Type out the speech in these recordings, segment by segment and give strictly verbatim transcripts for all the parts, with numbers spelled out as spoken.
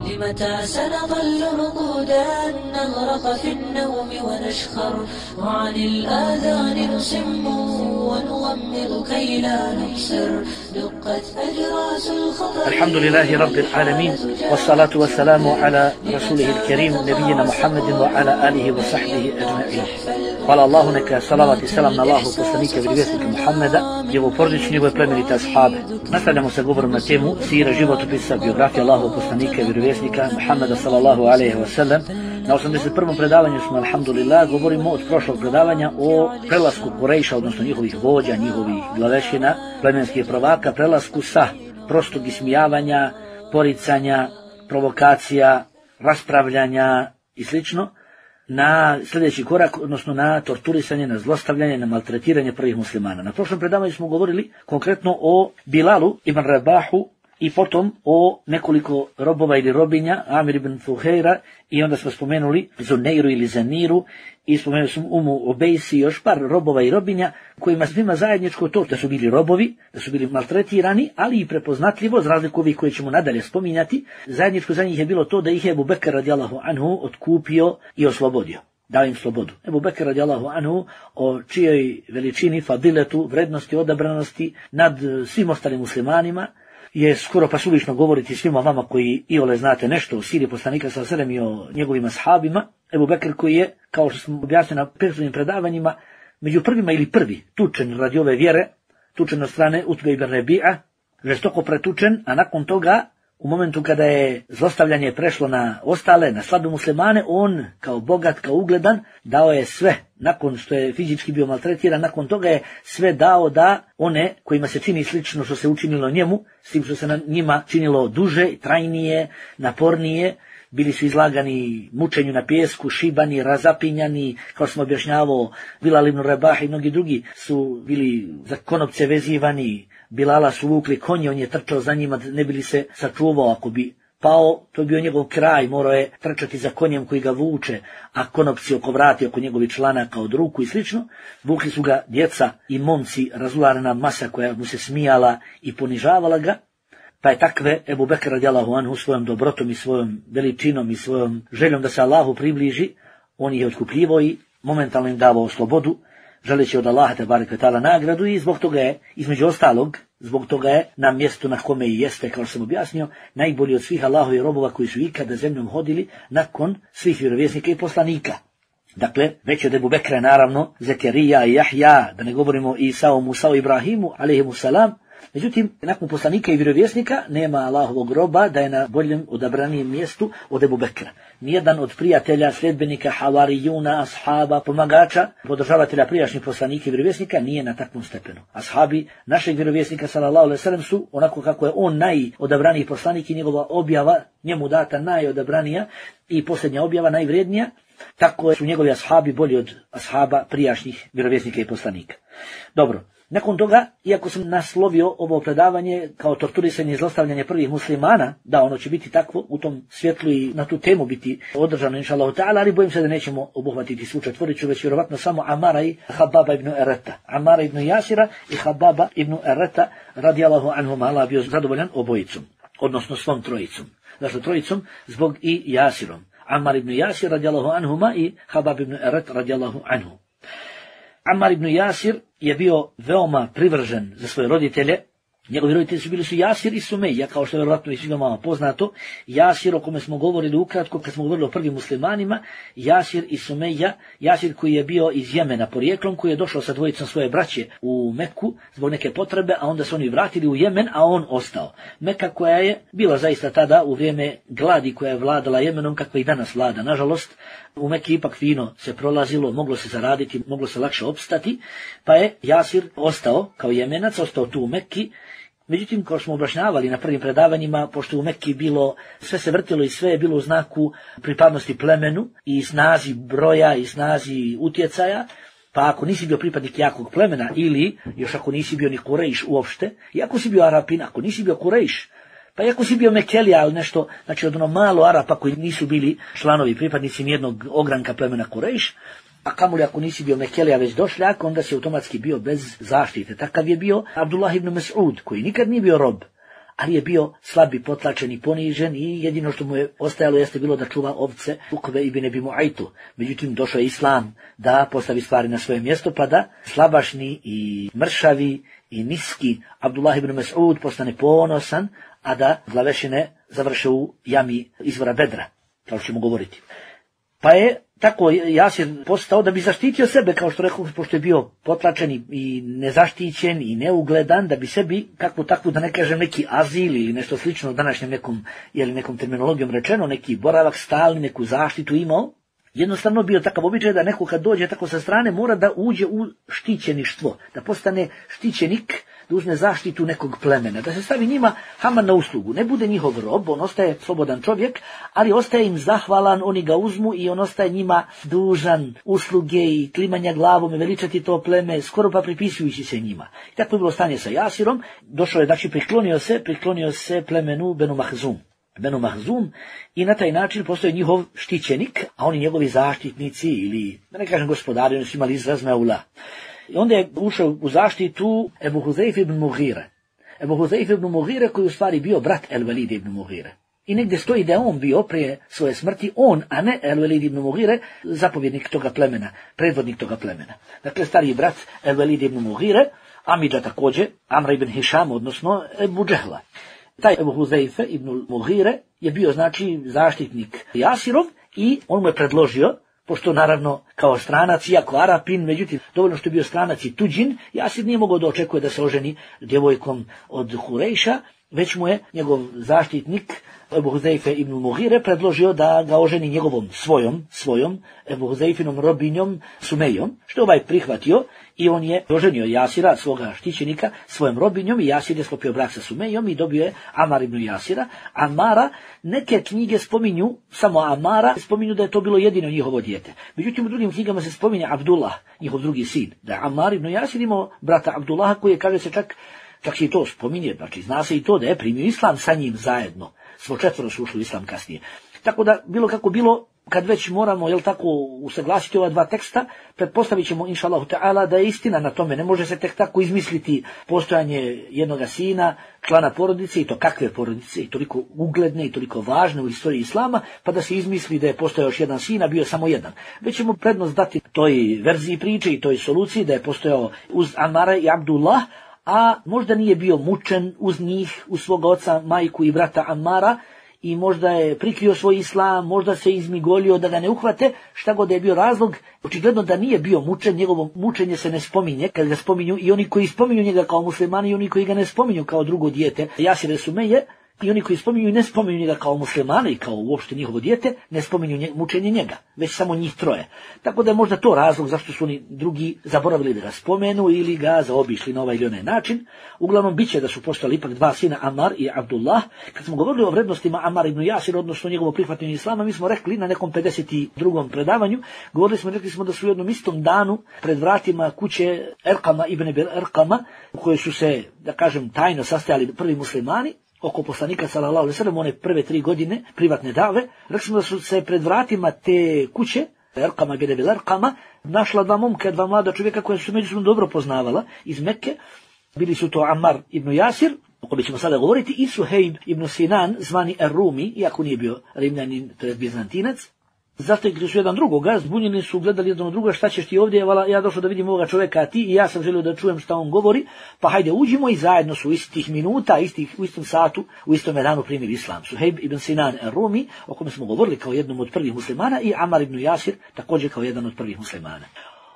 لمتى سنظل رقودا نغرق في النوم ونشخر وعن الآذان نصم ونغمض كي لا نبصر دقت أجراس الخطر. الحمد لله رب العالمين والصلاة والسلام على رسوله الكريم نبينا محمد وعلى آله وصحبه أجمعين. Hvala Allahu, neka salavat i selam na Allahu poslanika i vjerovjesnika Muhammeda, njegovu porodicu, njegove plemenite ashabe. Nastavljamo sa govorom na temu sira, životopisa, biografija Allahu poslanika i vjerovjesnika Muhammeda sallallahu alejhi ve sellem. Na osamdeset prvom predavanju smo, alhamdulillah, govorimo od prošlog predavanja o prelasku Kurejša, odnosno njihovih vođa, njihovih glavešina, plemenskih prvaka, prelasku sa prostog ismijavanja, poricanja, provokacija, raspravljanja i slično, na sljedeći korak, odnosno na torturisanje, na zlostavljanje, na maltretiranje prvih muslimana. Na prošlom predavanju smo govorili konkretno o Bilalu ibn Rabahu i potom o nekoliko robova ili robinja, Amir ibn Fuhejra, i onda smo spomenuli Zuneiru ili Zaniru i spomenuli smo Umu Obejsi i još par robova i robinja kojima svima zajedničko to da su bili robovi, da su bili maltretirani, ali i prepoznatljivo, za razliku ovih koje ćemo nadalje spominjati, zajedničko za njih je bilo to da ih je Ebu Bekr radijallahu anhu otkupio i oslobodio. Dao im slobodu. Ebu Bekr radijallahu anhu, o čijoj veličini, fadiletu, vrednosti, odabranosti nad svim ostalim muslimanima, je skoro pa suvišno govoriti svima vama koji iole znate nešto o siri poslanika sallallahu alejhi ve sellem i o njegovim ashabima. Ebu Bekr, koji je, kao što smo objasnili na prethodnim predavanjima, među prvima ili prvi tučen radi ove vjere, tučen od strane Utbe ibn Rabi'a, žestoko pretučen, a nakon toga, u momentu kada je zlostavljanje prešlo na ostale, na slabe muslimane, on kao bogat, kao ugledan, dao je sve, nakon što je fizički bio maltretiran, nakon toga je sve dao da one kojima se čini slično što se učinilo njemu, s tim što se na njima činilo duže, trajnije, napornije, bili su izlagani mučenju na pijesku, šibani, razapinjani, kao što smo objašnjavao, Bilal ibn Rabah i mnogi drugi su bili za konopce vezivani, Bilala su vukli konje, on je trčao za njima, ne bi li se sačuvao, ako bi pao, to je bio njegov kraj, morao je trčati za konjem koji ga vuče, a konopci oko vrati, oko njegovi članaka od ruku i slično. Vukli su ga djeca i momci, razularena masa koja mu se smijala i ponižavala ga, pa je takve Ebu Bekr radijallahu anhu svojom dobrotom i svojom veličinom i svojom željom da se Allahu približi, on ih je otkupljivao i momentalno im davao slobodu, želeći od Allaha tebareke ve taala nagradu, i zbog toga je, između ostalog, zbog toga je na mjestu na kome i jeste, kao što sam objasnio, najbolji od svih Allahovih robova koji su ikada zemljom hodili nakon svih vjerovjesnika i poslanika. Dakle, već od Ebu Bekra, naravno, Zekerija i Jahja, da ne govorimo i Isao, Musao, Ibrahimu, alejhimu salam. Međutim, nakon poslanika i vjerovjesnika nema Allahovog roba da je na boljem, odabranijem mjestu od Ebu Bekra. Nijedan od prijatelja, sljedbenika, havarijuna, ashaba, pomagača, podržavatelja prijašnjih poslanika i vjerovjesnika nije na takvom stepenu. Ashabi našeg vjerovjesnika sallallahu alejhi ve sellem su, onako kako je on najodabraniji poslanik i njegova objava njemu data najodabranija i posljednja objava najvrednija, tako su njegovi ashabi bolji od ashaba prijašnjih vjerovjesnika i poslanika. Dobro. Nakon toga, iako sam naslovio ovo predavanje kao torturisanje i zlostavljanje prvih muslimana, da ono će biti takvo u tom svjetlu i na tu temu biti održano inšallahu ta'ala, ali bojim se da nećemo obuhvatiti svu četvoricu, već vjerovatno samo Amara i Hababa ibn Ereta. Amara ibn Jasira i Hababa ibn Ereta, radijallahu anhum, Allah bio zadovoljan obojicom, odnosno svom trojicom. Znači trojicom zbog i Jasirom. Amar ibn Jasir radijallahu anhuma i Habab ibn Eret radijallahu anhu. Ammar ibn Jasir je bio veoma privržen za svoje roditelje. Njegovi roditelji su bili su Jasir i Sumeja, kao što je vjerojatno i svima vama poznato. Jasir, o kome smo govorili ukratko kad smo govorili o prvim muslimanima, Jasir i Sumeja, Jasir koji je bio iz Jemena porijeklom, koji je došao sa dvojicom svoje braće u Meku zbog neke potrebe, a onda su oni vratili u Jemen, a on ostao. Meka koja je bila zaista tada u vrijeme gladi koja je vladala Jemenom, kakva i danas vlada. Nažalost, u Meki ipak fino se prolazilo, moglo se zaraditi, moglo se lakše opstati, pa je Jasir ostao kao Jemenac, ostao tu u Meki. Međutim, kao smo objašnjavali na prvim predavanjima, pošto u Mekki bilo, sve se vrtilo i sve je bilo u znaku pripadnosti plemenu i snazi broja i snazi utjecaja, pa ako nisi bio pripadnik jakog plemena ili još ako nisi bio ni Kurejš uopšte, i ako si bio Arapin, ako nisi bio Kurejš, pa i ako si bio Mekelija, ali nešto, znači od ono malo Arapa koji nisu bili članovi, pripadnici nijednog ogranka plemena Kurejš, a kamoli ako nisi bio Mekelija već došljak, onda si automatski bio bez zaštite. Takav je bio Abdullah ibn Mas'ud, koji nikad nije bio rob, ali je bio slabi, potlačen i ponižen i jedino što mu je ostajalo jeste bilo da čuva ovce Ukve ibn Abi Mu'aytu. Međutim, došao je Islam da postavi stvari na svoje mjesto, pa da slabašni i mršavi i niski Abdullah ibn Mas'ud postane ponosan, a da glavešine završe u jami izvora Bedra, kao što ćemo govoriti. Pa je tako Jasir postao da bi zaštitio sebe, kao što rekao, pošto je bio potlačen i nezaštićen i neugledan, da bi sebi, kakvu takvu, da ne kažem neki azil ili nešto slično današnjem nekom, ili nekom terminologijom rečeno, neki boravak stalni, neku zaštitu imao. Jednostavno bio takav običaj da neko kad dođe tako sa strane mora da uđe u štićeništvo, da postane štićenik, da uzme zaštitu nekog plemena, da se stavi njima Haman na uslugu. Ne bude njihov rob, on ostaje slobodan čovjek, ali ostaje im zahvalan, oni ga uzmu i on ostaje njima dužan usluge i klimanja glavom i veličati to pleme, skoro pa pripisujući se njima. I tako je bilo stanje sa Jasirom, došao je, znači priklonio se, priklonio se plemenu Benu Mahzum. Benu Mahzum i na taj način postoje njihov štićenik, a oni njegovi zaštitnici ili, da ne kažem gospodari, oni su imali izraz Meula. I onda je ušao u zaštitu Ebu Huzeyf ibn Mughire. Ebu Huzeyf ibn Mughire koji u stvari bio brat El-Velid ibn Mughire. I negdje stoji da je on bio prije svoje smrti, on, a ne El-Velid ibn Mughire, zapovjednik toga plemena, predvodnik toga plemena. Dakle, stariji brat El-Velid ibn Mughire, Amidža također, Amra ibn Hišam, odnosno Ebu Džehla. Taj Ebu Huzeyfe ibn Mughire je bio, znači, zaštitnik Jasirov i on mu je predložio, pošto naravno kao stranac, iako Arapin, međutim, dovoljno što je bio stranac i tuđin, Jasir nije mogao da očekuje da se oženi djevojkom od Hurejša, već mu je njegov zaštitnik Ebu Huzeyfe ibn Mughire predložio da ga oženi njegovom svojom, svojom Ebu Huzeyfinom robinjom Sumejom, što je ovaj prihvatio i on je oženio Jasira, svoga štićenika, svojom robinjom i Jasir je sklopio brak sa Sumejom i dobio je Amar ibn Jasira. Amara, neke knjige spominju, samo Amara, spominju da je to bilo jedino njihovo dijete. Međutim, u drugim knjigama se spominje Abdullah, njihov drugi sin, da je Amar ibn Jasir imao brata Abdullaha koji je, kaže se čak, čak se i to spominje, znači zna se i to da je primio islam sa njim zajedno. Svo četvoro su ušli u islam kasnije. Tako da, bilo kako bilo, kad već moramo, jel tako, usaglasiti ova dva teksta, pretpostavit ćemo, inša Allahu ta'ala, da je istina na tome. Ne može se tek tako izmisliti postojanje jednoga sina, člana porodice, i to kakve porodice, i toliko ugledne, i toliko važne u istoriji islama, pa da se izmisli da je postojao još jedan sin, a bio samo jedan. Već ćemo prednost dati toj verziji priče i toj soluciji da je postojao uz Amara i Abdullah, a možda nije bio mučen uz njih, uz svoga oca, majku i brata Amara, i možda je prikrio svoj islam, možda se izmigolio da ga ne uhvate, šta god je bio razlog, očigledno da nije bio mučen, njegovo mučenje se ne spominje, kad ga spominju i oni koji spominju njega kao muslimani i oni koji ga ne spominju kao drugo dijete, Jasir Sumeje, i oni koji spominju i ne spominju njega kao muslimana i kao uopšte njihovo dijete, ne spominju nje, mučenje njega, već samo njih troje. Tako da je možda to razlog zašto su oni drugi zaboravili da ga spomenu ili ga zaobišli na ovaj ili onaj način. Uglavnom, bit će da su postali ipak dva sina, Amar i Abdullah. Kad smo govorili o vrednostima Amar ibn Jasir, odnosno njegovo prihvatanju islama, mi smo rekli na nekom pedeset drugom predavanju, govorili smo, rekli smo da su u jednom istom danu pred vratima kuće Erkama ibn Erkama, u kojoj su se, da kažem, tajno sastajali prvi muslimani, oko poslanika sallallahu alejhi ve sellem, one prve tri godine privatne dave, rekli smo da su se pred vratima te kuće, Erkama ibn Erkama, našla dva momka, dva mlada čovjeka koja su međusobno dobro poznavala iz Mekke. Bili su to Amar ibn Jasir, o kome ćemo sada govoriti, i Suhejb ibn Sinan, zvani Er-Rumi, iako nije bio Rimljanin, to je Bizantinac. Zatekli su jedan drugoga, zbunjeni su, gledali jedan od druga, šta ćeš ti ovdje, ja došao da vidim ovoga čovjeka, a ti, i ja sam želio da čujem šta on govori, pa hajde uđimo, i zajedno su u istih minuta, istih, u istom satu, u istom danu primili islam. Suhejb ibn Sinan Rumi, o kome smo govorili kao jednom od prvih muslimana, i Amar ibn Jasir, također kao jedan od prvih muslimana.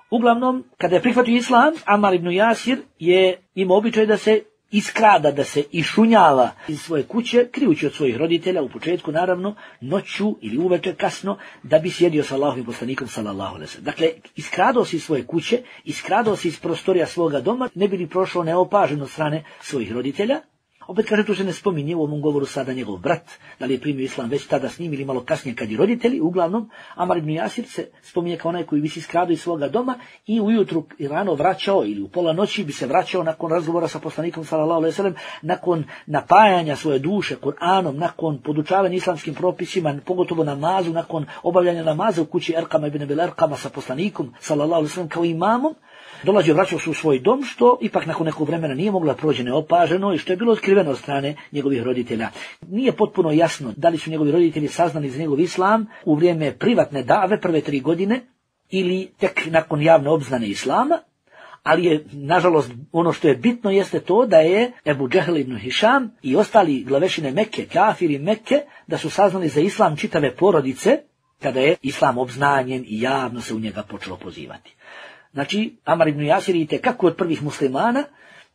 Uglavnom, kada je prihvatio islam, Amar ibn Jasir je imao običaj da se iskrada, da se išunjava iz svoje kuće, krijući od svojih roditelja, u početku naravno, noću ili uveče kasno, da bi sjedio sa Allahovim poslanikom sallallahu alejhi ve sellem. Dakle, iskradao se iz svoje kuće, iskradao se iz prostorija svoga doma, ne bi li prošao neopažen od strane svojih roditelja. Opet kaže, tu se ne spominje u ovom govoru sada njegov brat, da li je primio islam već tada s njim ili malo kasnije kad i roditelji. Uglavnom, Amar ibn Jasir se spominje kao onaj koji bi se iskradao iz svoga doma i ujutru i rano vraćao, ili u pola noći bi se vraćao nakon razgovora sa poslanikom sallallahu alejhi ve sellem, nakon napajanja svoje duše Kur'anom, nakon podučavanja islamskim propisima, pogotovo namazu, nakon obavljanja namaza u kući Erkama ibn Erkama sa poslanikom sallallahu alejhi ve sellem kao imamom. Dolazio, vraćao se u svoj dom, što ipak nakon nekog vremena nije mogla proći neopaženo i što je bilo otkrivenje otkriveno od strane njegovih roditelja. Nije potpuno jasno da li su njegovi roditelji saznali za njegov islam u vrijeme privatne dave prve tri godine ili tek nakon javne obznane islama, ali je, nažalost, ono što je bitno jeste to da je Ebu Džehl ibn Hišam i ostali glavešine Mekke, kafiri Mekke, da su saznali za islam čitave porodice, kada je islam obznanjen i javno se u njega počelo pozivati. Znači, Amar ibn Jasir je kako od prvih muslimana,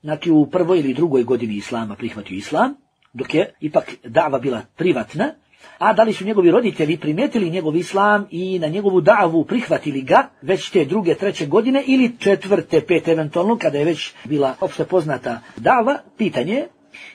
znači u prvoj ili drugoj godini islama prihvatio islam, dok je ipak dava bila privatna, a da li su njegovi roditelji primijetili njegov islam i na njegovu davu prihvatili ga već te druge, treće godine ili četvrte, pet eventualno, kada je već bila opšte poznata dava, pitanje je.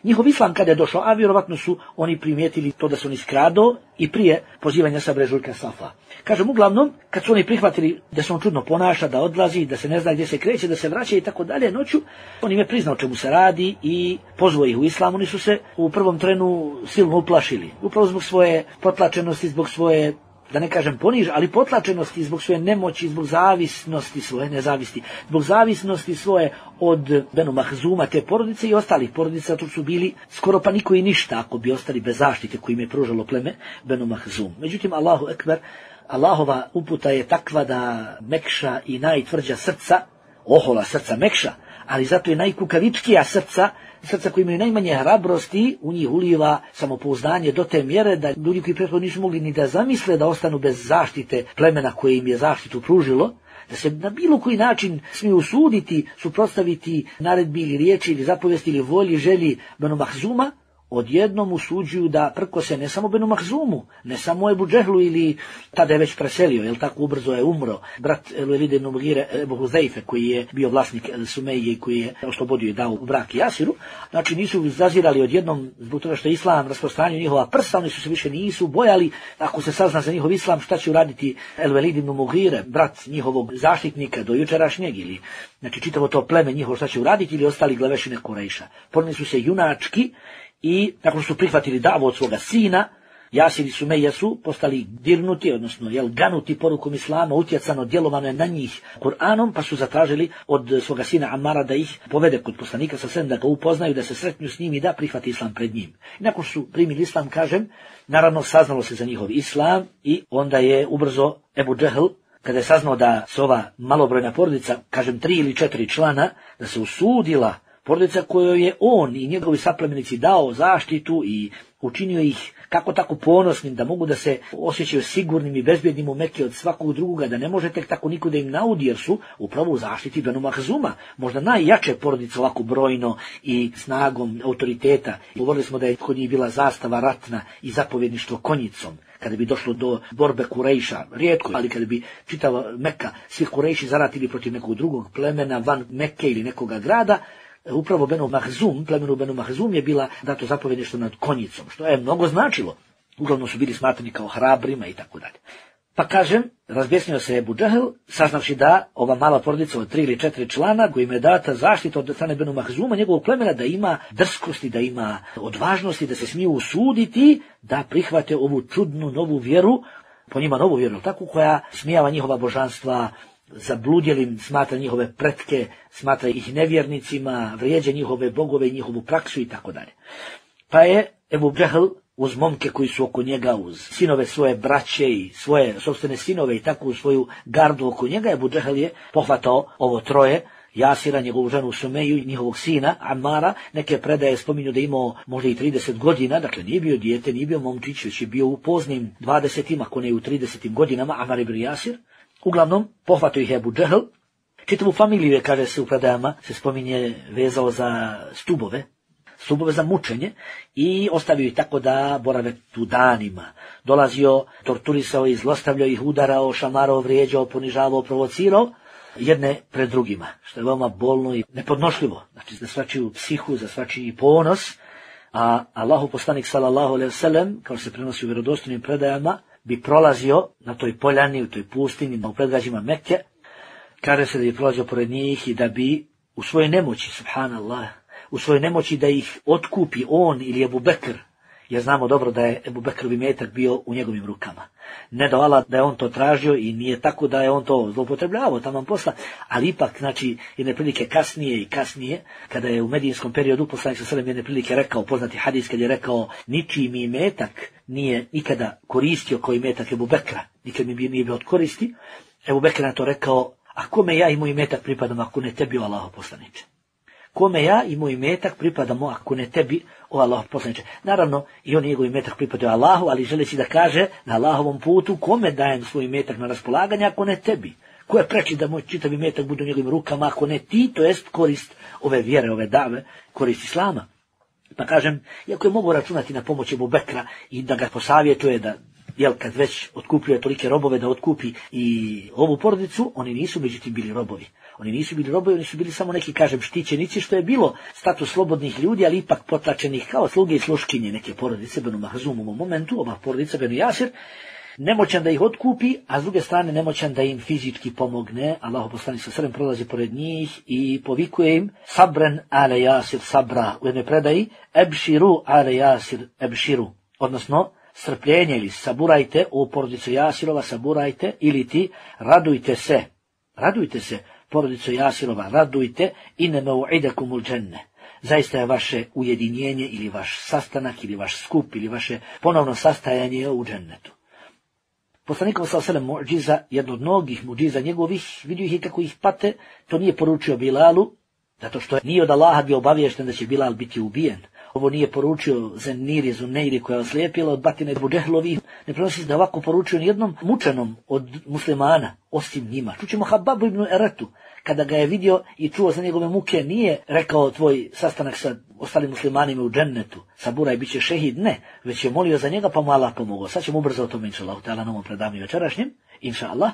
Njihov islam kada je došao, a vjerovatno su oni primijetili to da su oni skrado i prije pozivanja sa brežuljka Safa. Kažem, uglavnom, kad su oni prihvatili da se on čudno ponaša, da odlazi, da se ne zna gdje se kreće, da se vraća i tako dalje noću, on im je priznao čemu se radi i pozvao ih u islam. Oni su se u prvom trenu silno uplašili, upravo zbog svoje potlačenosti, zbog svoje, da ne kažem poniž, ali potlačenosti, zbog svoje nemoći, zbog zavisnosti svoje, nezavisti, zbog zavisnosti svoje od Benu Mahzuma, te porodice i ostalih porodica, to su bili skoro pa niko i ništa ako bi ostali bez zaštite koji im je pružalo pleme Benu Mahzum. Međutim, Allahu ekber, Allahova uputa je takva da mekša i najtvrđa srca, ohola srca mekša, ali zato je najkukavičkija srca, srca koji imaju najmanje hrabrosti, u njih uliva samopouzdanje do te mjere da ljudi koji prethodno nisu mogli ni da zamisle da ostanu bez zaštite plemena koje im je zaštitu pružilo, da se na bilo koji način smiju usuditi, suprotstaviti naredbi ili riječi ili zapovesti ili volji, želji Benu Mahzuma, odjednom usuđuju da prkose ne samo Benu Mahzumu, ne samo Ebu Džehlu ili tada je već preselio, jel tako ubrzo je umro, brat El-Velid ibn Mugire Ebu Huzeife koji je bio vlasnik El-Sumeije i koji je oslobodio i dao u brak Jasiru. Znači nisu zazirali odjednom zbog toga što je islam rasprostranio njihova prsa, oni su se više nisu bojali ako se sazna za njihov islam šta će uraditi El-Velid ibn Mugire, brat njihovog zaštitnika do jučerašnjeg, ili znači čitavo to pleme njihovo šta će uraditi, ili ostali glavešine Kurejša. Poneli su se junački i nakon što su prihvatili davu od svoga sina, Jasir i Sumeja su postali dirnuti, odnosno jel, ganuti porukom islama, utjecano djelovano je na njih Kur'anom, pa su zatražili od svoga sina Amara da ih povede kod poslanika sa sredem, da ga upoznaju, da se sretnu s njim i da prihvati islam pred njim. I nakon što su primili islam, kažem, naravno saznalo se za njihov islam i onda je ubrzo Ebu Džehl, kada je saznao da se ova malobrojna porodica, kažem tri ili četiri člana, da se usudila porodica kojoj je on i njegovi saplemenici dao zaštitu i učinio ih kako tako ponosnim da mogu da se osjećaju sigurnim i bezbjednim u Mekke od svakog drugoga, da ne može tek tako niko da im naudi, jer su upravo u zaštiti Benu Mahzuma, možda najjače porodice ovako brojno i snagom autoriteta. Govorili smo da je kod njih bila zastava ratna i zapovjedništvo konjicom. Kada bi došlo do borbe Kurejša, rijetko, ali kada bi čitava Mekka, svi Kurejši zaratili protiv nekog drugog plemena van Mekke ili nekoga grada, upravo Benu Mahzum, plemenu Benu Mahzum je bila dato zapovjedništvo nad konjicom, što je mnogo značilo. Uglavnom su bili smatrani kao hrabrima i tako dalje. Pa kažem, razbjesnio se Ebu Džehl, saznavši da ova mala porodica od tri ili četiri člana, kojima je data zaštita od strane Benu Mahzuma, njegovog plemena, da ima drskosti, da ima odvažnosti, da se smiju usuditi, da prihvate ovu čudnu novu vjeru, po njima novu vjeru, tako, koja smijava njihova božanstva, zabludjelim smatra njihove pretke, smatra ih nevjernicima, vrijeđa njihove bogove i njihovu praksu i tako dalje. Pa je Ebu Džehl uz momke koji su oko njega, uz sinove svoje braće i svoje sopstvene sinove i tako u svoju gardu oko njega, Ebu Džehl je pohvatao ovo troje, Jasira, njegovu ženu Sumeju i njihovog sina Amara. Neke predaje spominju da je imao možda i trideset godina, dakle nije bio dijete, nije bio momčić, već je bio u poznim dvadesetima, ako ne i u tridesetim godinama, Amar ibn Jasir. Uglavnom, pohvatao ih Ebu Džehl. Čitavu familiju je, kaže se u predajama, se spominje vezao za stubove, stubove za mučenje i ostavio ih tako da borave tu danima. Dolazio, torturisao ih, zlostavljao ih, udarao, šamarao, vrijeđao, ponižavao, provocirao jedne pred drugima, što je veoma bolno i nepodnošljivo. Znači za svačiju psihu, za svačiji ponos, a Allahu poslanik sallallahu alejhi ve sellem, kao se prenosi u vjerodostojnim predajama, bi prolazio na toj poljani, u toj pustinji, u predgrađima Mekke, kaže se da bi prolazio pored njih i da bi u svojoj nemoći, subhanallah, u svojoj nemoći da ih otkupi on ili Ebu Bekr, jer znamo dobro da je Ebu Bekrov imetak bio u njegovim rukama. Ne da Allah da je on to tražio i nije tako da je on to zloupotrebljavao taman posla, ali ipak, znači, jedne prilike kasnije i kasnije, kada je u medijinskom periodu poslanik sallallahu alejhi ve sellem jedne prilike rekao, poznati hadis kad je rekao, ničiji mi imetak nije nikada koristio koji imetak Ebu Bekra, nikad mi nije bio od koristi. Ebu Bekr na to rekao, a kome ja i moj imetak pripadam ako ne tebi, o Allahov poslaniče? Kome ja i moj imetak pripadamo ako ne tebi, o Allahov poslaniče? Naravno, i on njegov imetak pripadao Allahu, ali želeći da kaže na Allahovom putu, kome dajem svoj imetak na raspolaganje ako ne tebi? Ko je preči da moj čitav imetak bude u njegovim rukama ako ne ti, to jest korist ove vjere, ove dave, korist Islama? Pa kažem, iako je mogu računati na pomoć Ebu Bekra i da ga posavjetuje da, jel, kad već otkupljuje tolike robove da otkupi i ovu porodicu, oni nisu međutim bili robovi. Oni nisu bili robovi, oni su bili samo neki, kažem, štićenici, što je bilo status slobodnih ljudi, ali ipak potlačenih kao sluge i sluškinje neke porodice, Benu Mahzum u momentu, ova porodica Benu Jasir, nemoćan da ih otkupi, a s druge strane nemoćan da im fizički pomogne. Allahu poslanik sallallahu alejhi ve sellem prolazi pored njih i povikuje im, sabren ale Jasir sabra, u jednoj predaji, ebširu ale Jasir ebširu, odnosno, strpljenje ili saburajte, u porodicu Jasirova saburajte, ili ti radujte se, radujte se, porodicu Jasirova, radujte, ine mau'idakumul dženne. Zaista je vaše ujedinjenje ili vaš sastanak ili vaš skup ili vaše ponovno sastajanje u džennetu. Poslanikov sallallahu alejhi ve sellem mu'džiza, jedno od mnogih mu'džiza njegovih, vidio ih i kako ih pate, to nije poručio Bilalu, zato što nije od Allaha bio obaviješten da će Bilal biti ubijen. Ovo nije poručio Zeniri, Zuneiri koja je oslijepila od batine Ebu Džehlovih. Ne prenosi se da ovako poručio nijednom mučenom od muslimana, osim njima. Čućemo Hababu ibn Eretu, kada ga je vidio i čuo za njegove muke, nije rekao tvoj sastanak sa ostalim muslimanima u džennetu, saburaj, bit će šehid, ne, već je molio za njega pa mu Allah pomogao. Sad ćemo ubrzo o tome, inša Allah, na ovom predavanju večerašnjem, inša Allah,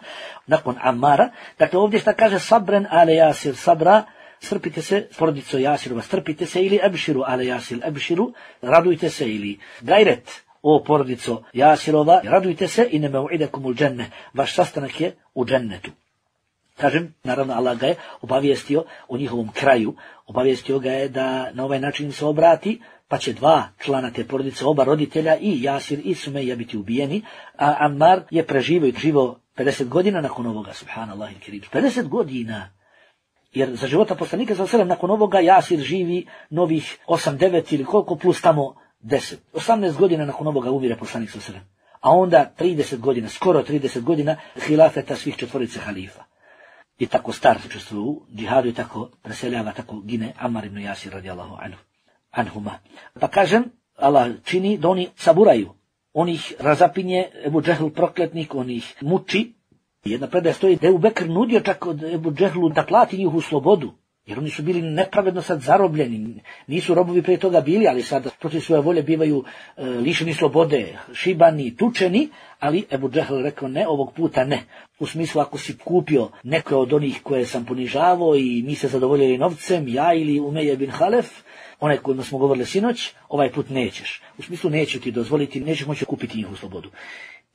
nakon Ammara. Dakle, ovdje šta kaže sabren ale Jasir sabra, strpite se, porodico Jasirova, strpite se, ili ebširu ale Jasir ebširu, radujte se, ili gajret, o porodico Jasirova, radujte se, i ne mau'idakumul dženne, vaš sastanak je u džennetu. Kažem, naravno Allah ga je obavijestio o njihovom kraju, obavijestio ga je da na ovaj način se obrati, pa će dva člana te porodice, oba roditelja, i Jasir i Sumeja biti ubijeni, a Ammar je preživio i živo pedeset godina nakon ovoga, subhanallah il kerim, pedeset godina. Jer za života poslanika sallallahu alejhi ve sellem nakon ovoga Jasir živi novih osam, devet ili koliko plus tamo deset. osamnaest godina nakon ovoga umire poslanik sallallahu alejhi ve sellem. A onda trideset godina, skoro trideset godina hilafeta svih četvorice halifa. I tako star učestvuje u džihadu i tako preseljava, tako gine Ammar ibn Jasir radijallahu anhu, anhuma. Pa kažem, Allah čini da oni saburaju. On ih razapinje, Ebu Džehl prokletnik, on ih muči. Jedna predaja stoji da je Ebu Bekr nudio čak od Ebu Džehlu da plati njihovu slobodu, jer oni su bili nepravedno sad zarobljeni, nisu robovi prije toga bili, ali sad protiv svoje volje bivaju e, lišeni slobode, šibani, tučeni, ali Ebu Džehl rekao ne, ovog puta ne. U smislu, ako si kupio neke od onih koje sam ponižavao i mi se zadovoljili novcem, ja ili Umeje bin Halef, onaj kojima smo govorili sinoć, ovaj put nećeš. U smislu, neću ti dozvoliti, nećeš moći kupiti njihovu slobodu.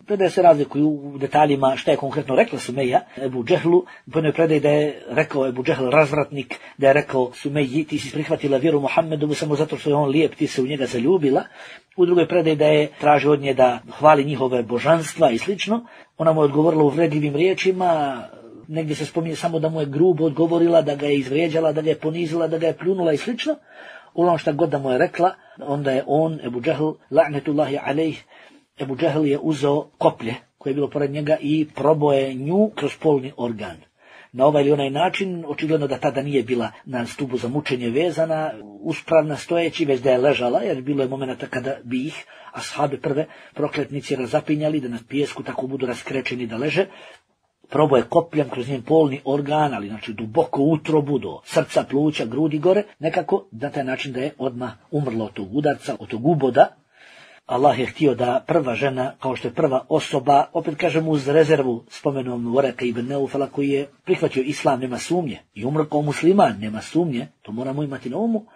Predaje se razlikuju u detaljima šta je konkretno rekla Sumeja Ebu Džehlu. Po jednoj predaji da je rekao Ebu Džehl razvratnik, da je rekao Sumeji, ti si prihvatila vjeru Muhammedu samo zato što je on lijep, ti se u njega zaljubila. U drugoj predaji da je tražio od nje da hvali njihove božanstva i slično. Ona mu je odgovorila uvredljivim riječima, negdje se spominje samo da mu je grubo odgovorila, da ga je izvrijeđala, da ga je ponizila, da ga je pljunula i slično. Uglavnom šta god da mu je rekla, onda je on, Ebu Džehl, la'netullahi alejh, Ebu Džehl je uzeo koplje koje je bilo pored njega i proboje nju kroz polni organ. Na ovaj ili onaj način, očigledno da tada nije bila na stubu za mučenje vezana, uspravna stojeći, već da je ležala, jer bilo je momenta kada bi ih ashabi prve prokletnici razapinjali, da na pijesku tako budu raskrečeni da leže. Proboje kopljem kroz njen polni organ, ali znači duboko utrobu, do srca, pluća, grudi gore, nekako na taj način da je odmah umrla od tog udarca, od tog uboda. Allah je htio da prva žena, kao što je prva osoba, opet kažemo uz rezervu, spomenom Voreka ibn Neufela, koji je prihvatio islam, nema sumnje, i umro kao musliman, nema sumnje, to moramo imati na umu,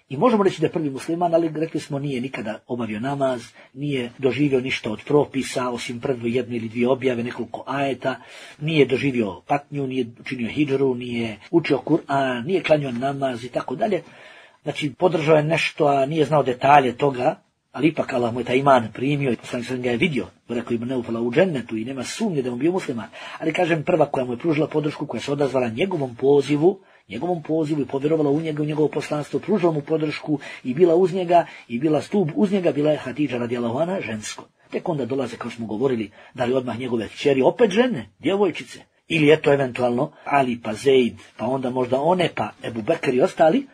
i možemo reći da je prvi musliman, ali rekli smo nije nikada obavio namaz, nije doživio ništa od propisa, osim prve jedne ili dvije objave, nekoliko ajeta, nije doživio patnju, nije učinio hidžru, nije učio Kur'an, nije klanjao namaz i tako dalje. Znači, podržao je nešto, a nije znao detalje toga, ali ipak Allah mu je taj iman primio i poslanik sam ga je vidio, rekao im ne upala u džennetu i nema sumnje da mu bio musliman. Ali kažem, prva koja mu je pružila podršku, koja se odazvala njegovom pozivu, njegovom pozivu i povjerovala u njega, u njegovo poslanstvo, pružila mu podršku i bila uz njega i bila stup uz njega, bila je Hatidža radijallahu anha, žensko. Tek onda dolaze, kao smo govorili, da li odmah njegove kćeri, opet žene, djevojčice. Ili eto eventualno Ali pa Zeid, pa onda možda one, pa Ebu Bekr i ostali,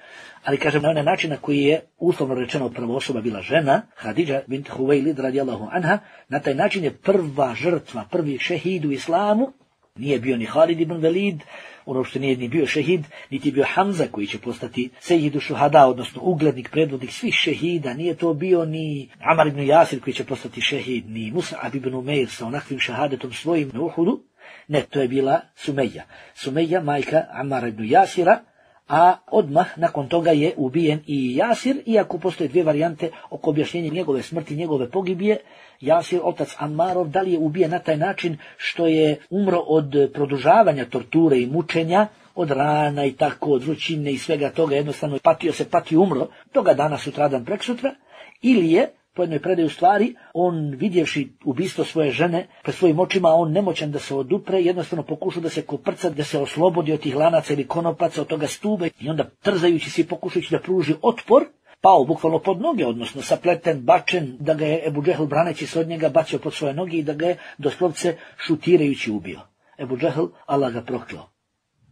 ali kažem na onaj način na koji je uslovno rečeno prva osoba bila žena, Hadidža bint Huvejlid radijallahu anha, na taj način je prva žrtva, prvi šehid u islamu, nije bio ni Halid ibn Velid, ono što nije ni bio šehid, niti bio Hamza koji će postati sejidu šuhada, odnosno uglednik, predvodnik svih šehida, nije to bio ni Amar ibn Jasir koji će postati šehid, ni Mus'ab ibn Umeir sa onakvim šahadetom svojim na Uhudu, ne, to je bila Sumeja. Sumeja, majka Amara ibn Jasira, a odmah nakon toga je ubijen i Jasir, iako postoje dvije varijante oko objašnjenja njegove smrti, njegove pogibije. Jasir, otac Ammarov, da li je ubijen na taj način što je umro od produžavanja torture i mučenja, od rana i tako, od vrućine i svega toga, jednostavno patio se, patio, umro, toga dana, sutradan, preksutra, ili je po jednoj predaju stvari, on vidjevši ubistvo svoje žene pred svojim očima, on nemoćan da se odupre, jednostavno pokušao da se koprca, da se oslobodi od tih lanaca ili konopaca, od toga stube, i onda trzajući se i pokušajući da pruži otpor, pao bukvalno pod noge, odnosno sapleten, bačen, da ga je Ebu Džehl braneći se od njega bacio pod svoje noge i da ga je doslovce šutirajući ubio. Ebu Džehl, Allah ga proklao.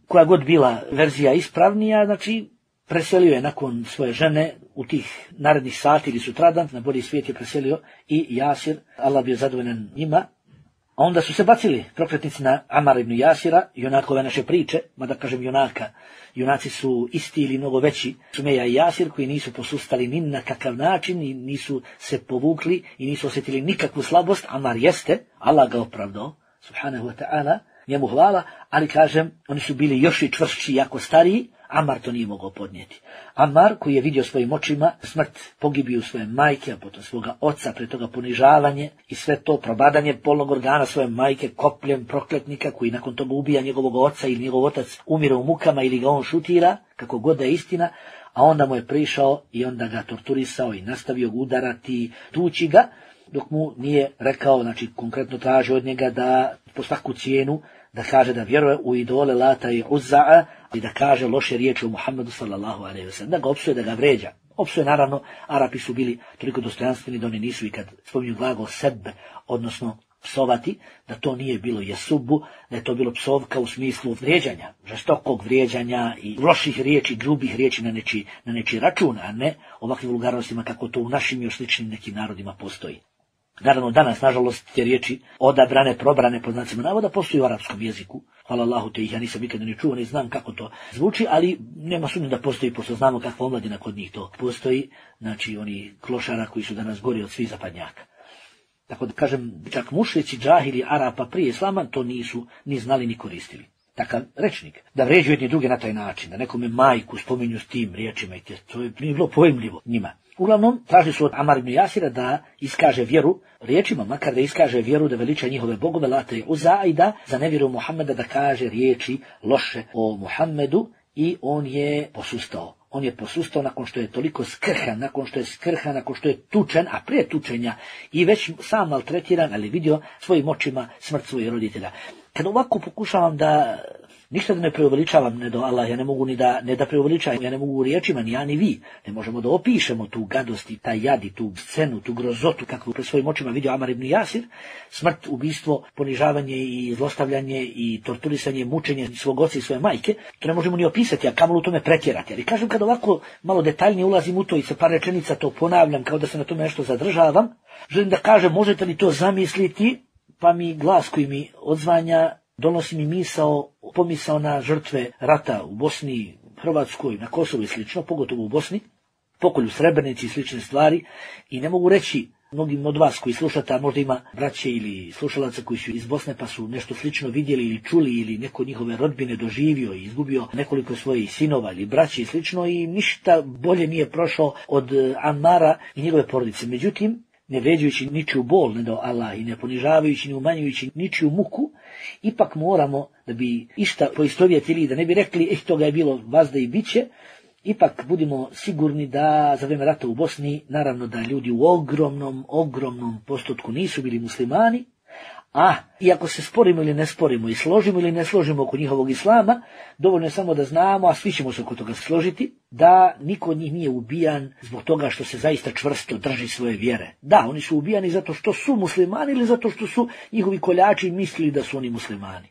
Koja god bila verzija ispravnija, znači preselio je nakon svoje žene u tih narednih sati ili sutradan, na bolji svijet je preselio i Jasir, Allah bio zadovoljan njima. A onda su se bacili prokletnici na Amara ibn Jasira, junakove naše priče, mada kažem junaka, junaci su isti ili mnogo veći, Sumeja i Jasir, koji nisu posustali ni na kakav način i nisu se povukli i nisu osjetili nikakvu slabost. Amar jeste, Allah ga opravdao, subhanahu wa ta'ala, njemu hvala, ali kažem, oni su bili još i čvršći, jako stariji. Amar to nije mogao podnijeti. Amar, koji je vidio svojim očima smrt pogibiju svoje majke, a potom svoga oca, pre toga ponižavanje i sve to probadanje polnog organa svoje majke kopljem prokletnika, koji nakon toga ubija njegovog oca ili njegov otac umire u mukama ili ga on šutira, kako god da je istina, a onda mu je prišao i onda ga torturisao i nastavio udarati, tući ga, dok mu nije rekao, znači konkretno traži od njega da po svaku cijenu da kaže da vjeruje u idole Lata i Uzza'a i da kaže loše riječi o Muhammedu sallallahu alejhi ve sellem, da ga opsuje, da ga vređa. Opsuje, naravno, Arapi su bili toliko dostojanstveni da oni nisu i kad spominju glagol sebe, odnosno psovati, da to nije bilo jesubu, da je to bilo psovka u smislu vrijeđanja, žestokog vrijeđanja i loših riječi, grubih riječi na nečiji na neči račun, a ne ovakvim vulgarnostima kako to u našim još sličnim nekim narodima postoji. Naravno, danas, nažalost, te riječi odabrane, probrane, po znacima navoda, postoji u arapskom jeziku. Hvala Allahu, te ih ja nisam nikada ni čuo, ne znam kako to zvuči, ali nema sumnje da postoji, pošto znamo kakva omladina kod njih to postoji, znači oni klošara koji su danas gori od svih zapadnjaka. Tako da kažem, čak mušrici, džahili, Arapa prije islama to nisu ni znali ni koristili. Takav rečnik, da vređuju jedni druge na taj način, da nekome majku spominju s tim riječima i to je nije bilo pojmljivo njima. Uglavnom, tražili su od Amar ibn Jasira da iskaže vjeru riječima, makar da iskaže vjeru, da veliča njihove bogove, Lata i Uzza, i da za nevjeru Muhammeda da kaže riječi loše o Muhammedu, i on je posustao. On je posustao nakon što je toliko skrhan, nakon što je skrhan, nakon što je tučen, a prije tučenja i već sam maltretiran, ali vidio svojim očima smrt svojih roditelja. Kad ovako pokušavam da ništa da ne preuveličavam, ne do Allah, ja ne mogu ni da, ne da preuveličavam, ja ne mogu u riječima, ni ja ni vi, ne možemo da opišemo tu gadost i taj jad i tu scenu, tu grozotu, kakvu pred svojim očima vidio Amar ibn Jasir, smrt, ubistvo, ponižavanje i zlostavljanje i torturisanje, mučenje svog oca i svoje majke, to ne možemo ni opisati, a kamoli u tome pretjerati. Ali kažem, kad ovako malo detaljnije ulazim u to i sa par rečenica to ponavljam, kao da se na tome nešto zadržavam, želim da kažem, možete li to zamisliti, pa mi glas koji mi odzvanja donosi mi misao, pomisao na žrtve rata u Bosni, Hrvatskoj, na Kosovu i slično, pogotovo u Bosni, pokolju Srebrenici i slične stvari, i ne mogu reći mnogim od vas koji slušate, a možda ima braće ili slušalaca koji su iz Bosne pa su nešto slično vidjeli ili čuli ili neko njihove rodbine doživio i izgubio nekoliko svojih sinova ili braće i slično, i ništa bolje nije prošao od Amara i njegove porodice. Međutim, ne vređujući ničiju bol, ne do Allah, i ne ponižavajući, ni umanjujući ničiju muku, ipak moramo, da bi išta poistovjetili, da ne bi rekli, eh, toga je bilo vazda i biće, ipak budimo sigurni da za vrijeme rata u Bosni, naravno da ljudi u ogromnom, ogromnom postotku nisu bili muslimani, a iako se sporimo ili ne sporimo i složimo ili ne složimo oko njihovog islama, dovoljno je samo da znamo, a svi ćemo se oko toga složiti, da niko od njih nije ubijan zbog toga što se zaista čvrsto drži svoje vjere. Da, oni su ubijani zato što su muslimani ili zato što su njihovi koljači mislili da su oni muslimani.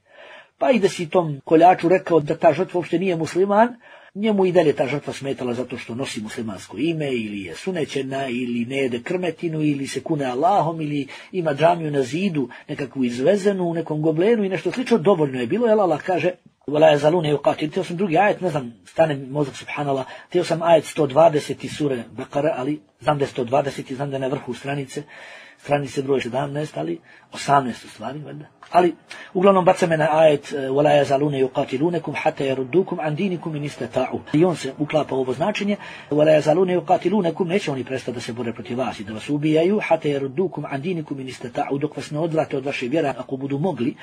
Pa i da si tom koljaču rekao da ta žrtva uopšte nije musliman, njemu i dalje ta žrtva smetala zato što nosi muslimansko ime, ili je sunećena, ili ne jede krmetinu, ili se kune Allahom, ili ima džamiju na zidu, nekakvu izvezenu u nekom goblenu i nešto slično, dovoljno je bilo, jer Allah kaže وَلَا يَزَلُونَ يُقَاتِلُونَ. Teo sam drugi ajet, ne znam, stane mi mozak, subhanallah, teo sam ajet sto dvadeset sure Bekare, ali znam da je sto dvadeset i znam da je na vrhu stranice, stranice broj sedamnaest, ali osamnaest u stvari, valjda. Ali uglavnom baca me na ajet وَلَا يَزَلُونَ يُقَاتِلُونَكُمْ حَتَّى يَرُدُّوكُمْ عَنْ دِينِكُمْ إِنِ اسْتَطَاعُوا. I on se uklapa u ovo značenje وَلَا يَزَلُونَ يُقَاتِلُونَكُمْ, neće oni prestati da se bore protiv vas i da vas ubijaju حَتَّى يَرُدُّوكُمْ عَنْ دِينِكُمْ إِنِ اسْتَطَاعُوا, dok vas ne odvrate od vaše vjere ako budu mogli.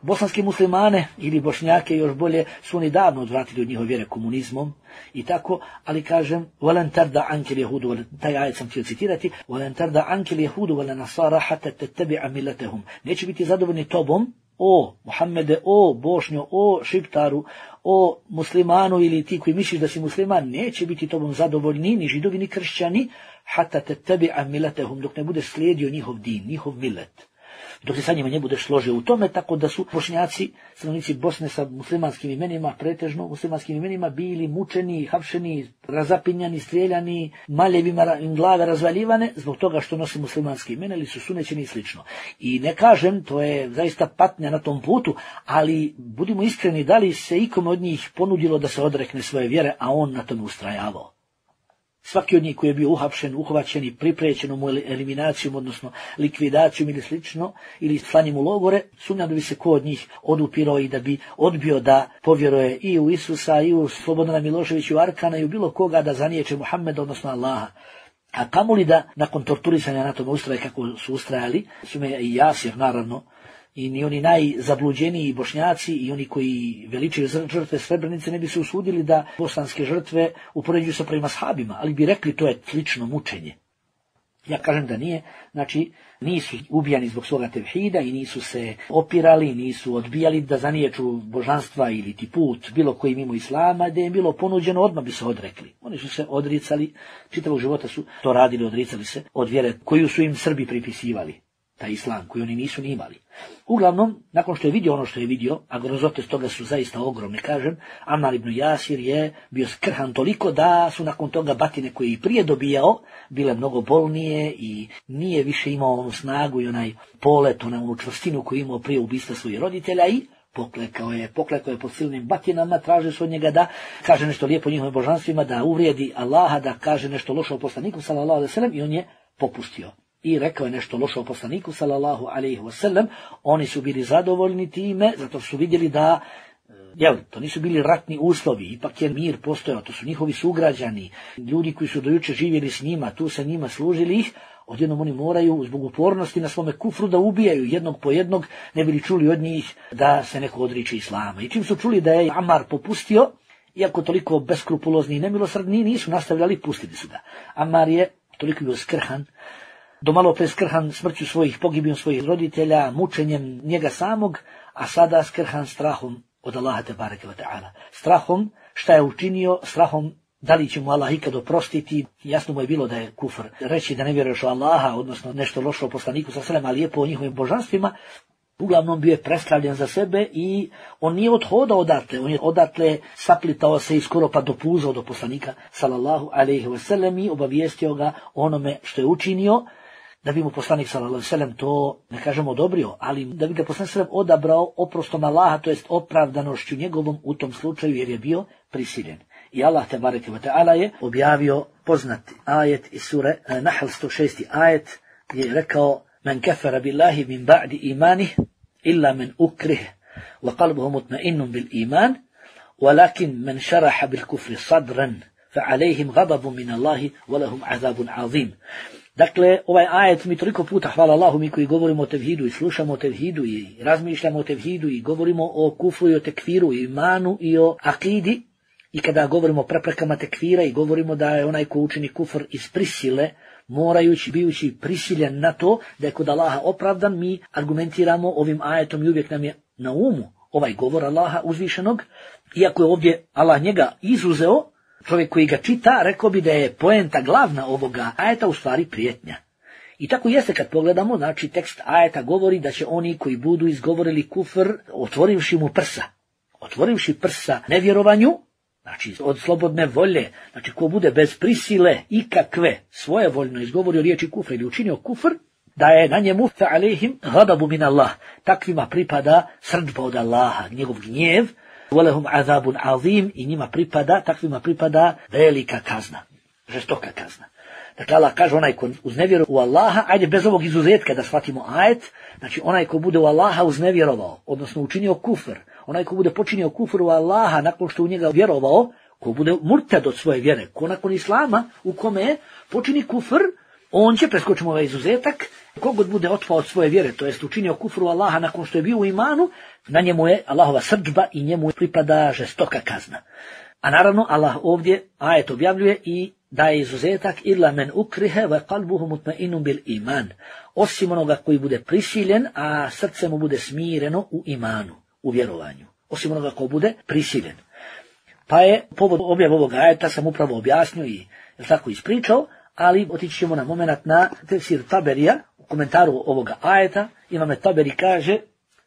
Bosanski muslimane ili Bošnjake još bolje su oni davno odvratili od njihove vjere komunizmom i tako, ali kažem وَلَنْ تَرْدَ عَنْكَ الْيَهُودُ, taj ajet sam htio citirati, وَلَنْ تَرْدَ عَنْكَ الْيَهُودُ وَلَا نَصَارَ حَتَّى تَتَّبِعَ مِلَّتَهُمْ. Neće biti zadovoljni tobom, o Muhammede, o Bošnjo, o Šiptaru, o muslimanu ili ti koji misliš da si musliman, neće biti tobom zadovoljni ni židovi ni kršćani, حَتَّى تَتَّبِعَ مِلَّتَهُمْ, dok ne budeš slijedio njihov din, njihov milet. Dok se sa njima ne budeš složio u tome, tako da su Bošnjaci, stanovnici Bosne sa muslimanskim imenima, pretežno muslimanskim imenima, bili mučeni, hapšeni, razapinjani, strijeljani, maljevima im glave razvaljivane, zbog toga što nosi muslimanske imena ili su sunećeni i slično. I ne kažem, to je zaista patnja na tom putu, ali budimo iskreni, da li se ikome od njih ponudilo da se odrekne svoje vjere, a on na tome ustrajavao. Svaki od njih koji je bio uhapšen, uhvaćen i priprećen mu eliminacijom, odnosno likvidacijom ili slično, ili slanjem u logore, sumnjam da bi se ko od njih odupirao i da bi odbio da povjeruje i u Isusa, i u Slobodana Miloševića, i u Arkana, i u bilo koga da zaniječe Muhammeda, odnosno Allaha. A kamoli da, nakon torturisanja na tome ustraje kako su ustrajali, su me i Jasir, naravno, i ni oni najzabluđeniji Bošnjaci i oni koji veličaju žrtve Srebrenice ne bi se usudili da bosanske žrtve upoređuju sa prvima sahabima, ali bi rekli to je slično mučenje. Ja kažem da nije, znači nisu ubijani zbog svoga tevhida i nisu se opirali, nisu odbijali da zaniječu božanstva ili ti put bilo koji mimo islama, da je im bilo ponuđeno, odmah bi se odrekli. Oni su se odricali, čitavog života su to radili, odricali se od vjere koju su im Srbi pripisivali, taj islam koji oni nisu ni imali. Uglavnom, nakon što je vidio ono što je vidio, a grozote s toga su zaista ogromne, kažem, Ammar ibn Jasir je bio skrhan toliko da su nakon toga batine koje je i prije dobijao bile mnogo bolnije i nije više imao onu snagu i onaj polet, onu čvrstinu koju je imao prije ubistva svojih roditelja i poklekao je, poklekao je pod silnim batinama, tražio su od njega da kaže nešto lijepo njihovim božanstvima, da uvrijedi Allaha, da kaže nešto loše o poslaniku sallallahu alejhi ve sellem, i on je popustio. I rekao je nešto loše o poslaniku sallallahu alejhi ve sellem. Oni su bili zadovoljni time, zato su vidjeli da, jel, to nisu bili ratni uslovi, ipak je mir postojao, to su njihovi sugrađani, ljudi koji su dojuče živjeli s njima, tu sa njima služili ih, odjednom oni moraju zbog upornosti na svome kufru da ubijaju jednog po jednog, ne bili čuli od njih da se neko odriče islama. I čim su čuli da je Ammar popustio, iako toliko beskrupulozni i nemilosrdni, nisu nastavljali, pustili su ga. Ammar je toliko bio skrhan, do malo pre skrhan smrću svojih, pogibijom svojih roditelja, mučenjem njega samog, a sada skrhan strahom od Allaha tebareke ve ta'ala. Strahom šta je učinio, strahom da li će mu Allah ikad oprostiti. Jasno mu je bilo da je kufr reći da ne vjeruješ u Allaha, odnosno nešto loše o poslaniku sa selem, ali lijepo o njihovim božanstvima. Uglavnom bio je preslavljen za sebe i on nije odhodao odatle, on je odatle saplitao se i skoro pa dopuzao do poslanika sallallahu alejhi ve sellem i obavijestio ga onome što je učinio, da bi mu poslanik sallallahu alejhi ve sellem to, ne kažemo, odobrio, ali da bi ga poslanik sallallahu alejhi ve sellem odabrao oprostom Allaha, to jest opravdanošću njegovom u tom slučaju, jer je bio prisiljen. I Allah tebareke ve ta'ala je objavio poznati ajet iz sure Nahl sto šesti ajet, gdje je rekao: Men kafara billahi min ba'di imanih illa men ukrih wa qalbuhu mutma'innun bil iman walakin men sharaha bil kufri sadran fa alayhim ghadabun min Allahi wa lahum azabun azim. Dakle, ovaj ajet mi toliko puta, hvala Allahu, mi koji govorimo o tevhidu i slušamo o tevhidu i razmišljamo o tevhidu i govorimo o kufru i o tekfiru i imanu i o akidi, I kada govorimo o preprekama tekfira i govorimo da je onaj ko učini kufr iz prisile, morajući, bijući prisiljen na to da je kod Allaha opravdan, mi argumentiramo ovim ajetom i uvijek nam je na umu ovaj govor Allaha uzvišenog. Iako je ovdje Allah njega izuzeo, čovjek koji ga čita rekao bi da je poenta glavna ovoga ajeta u stvari prijetnja. I tako jeste kad pogledamo, znači tekst ajeta govori da će oni koji budu izgovorili kufr otvorivši mu prsa, otvorivši prsa nevjerovanju, znači od slobodne volje, znači ko bude bez prisile ikakve svojevoljno izgovorio riječi kufra ili učinio kufr, da je na njemu fa alejhim ghadabu min Allah, takvima pripada srdba od Allaha, njegov gnjev, walahum azabun azim, i njima pripada, takvima pripada velika kazna, žestoka kazna. Dakle, Allah kaže onaj ko uznevjeruje u Allaha, ajde bez ovog izuzetka da shvatimo ajet, znači onaj ko bude u Allaha uznevjerovao, odnosno učinio kufr, onaj ko bude počinio kufr u Allaha nakon što u njega vjerovao, ko bude murtad od svoje vjere, ko nakon Islama u kome počini kufr, on će, preskočimo ovaj izuzetak, kogod bude otpao od svoje vjere, to jest učinio kufru Allaha nakon što je bio u imanu, na njemu je Allahova srdžba i njemu pripada žestoka kazna. A naravno Allah ovdje ajet objavljuje i daje izuzetak illa men ukrihe wa qalbuhu mutma'innun bil iman, osim onoga koji bude prisiljen, a srce mu bude smireno u imanu, u vjerovanju, osim onoga koji bude prisiljen. Pa je povod objave ovog ajeta sam upravo objasnio i je tako ispričao, ali otići ćemo na moment na tefsir Taberija, u komentaru ovoga ajeta. Imam Taberi kaže,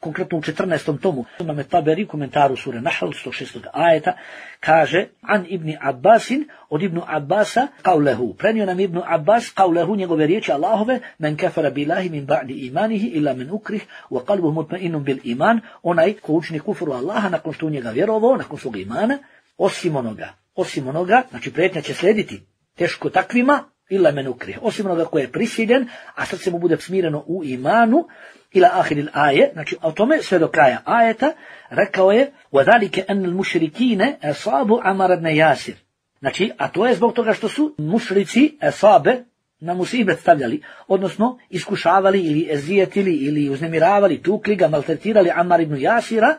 konkretno u četrnaestom tomu, Imam Taberi u komentaru sure Nahl, sto šestog ajeta, kaže, an ibni Abbasin, od ibnu Abbasa, qawlehu, prenio nam ibnu Abbas, qawlehu, njegove riječi Allahove, men kafara billahi min ba'di imanihi, illa men ukrih, wa qalbuhu mutma'innun bil iman, onaj ko učini kufru Allaha nakon što u njega vjerovao, nakon svog imana, osim onoga, osim onoga, znači prijetnja će slijediti teško takvima, illa men ukrih, osim onoga koji je prisiljen, a srce mu bude smireno u imanu, ila ahiril aje, znači o tome sve do kraja ajeta, rekao je, وَذَلِكَ أَنَّ الْمُشْرِكِينَ أَصَابُ عَمَرَ بْنَ يَاسِرَ, znači, a to je zbog toga što su mušrici esabe na musibet stavljali, odnosno iskušavali ili ezijetili ili uznemiravali, tukli ga, maltretirali Amar ibn Jasira,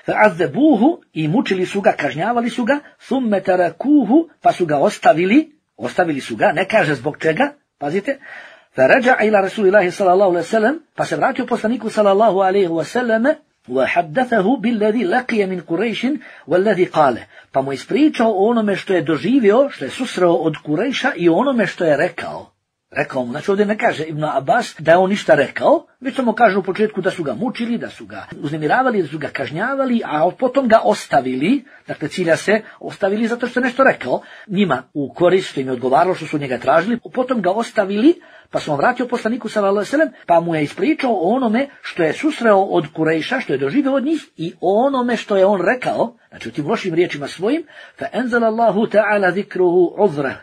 فَعَذَّبُوهُ, i mučili su ga, kažnjavali su ga, ثُمَّ تَرَكُوهُ, pa su ga ostavili, ostavili su ga, ne kaže zbog čega, pazite, فَرَجَعَ إِلَى رَسُولِ اللَّهِ صَلَى اللَّهُ عَلَيْهِ وَسَلَّمَ, pa se vratio poslaniku sallallahu alejhi ve sellem, وَحَدَّثَهُ بِالَّذِي لَقِيَ مِنْ قُرَيْشٍ وَالَّذِي قَالَ, pa mu ispričao o onome što je doživio, što je susreo od Kurejša i onome što je rekao. Rekao mu, znači ovdje ne kaže Ibn Abbas da je on ništa rekao, već samo kaže u početku da su ga mučili, da su ga uznemiravali, da su ga kažnjavali, a potom ga ostavili, dakle cilja se ostavili zato što je nešto rekao, njima u korist, što im je odgovaralo, što su njega tražili, potom ga ostavili, pa su on vratio poslaniku sallallahu alejhi ve sellem, pa mu je ispričao o onome što je susreo od Kurejša, što je doživio od njih, i o onome što je on rekao, znači u tim lošim riječima svojim, fa enzala Allahu ta'ala zikruhu uzrah,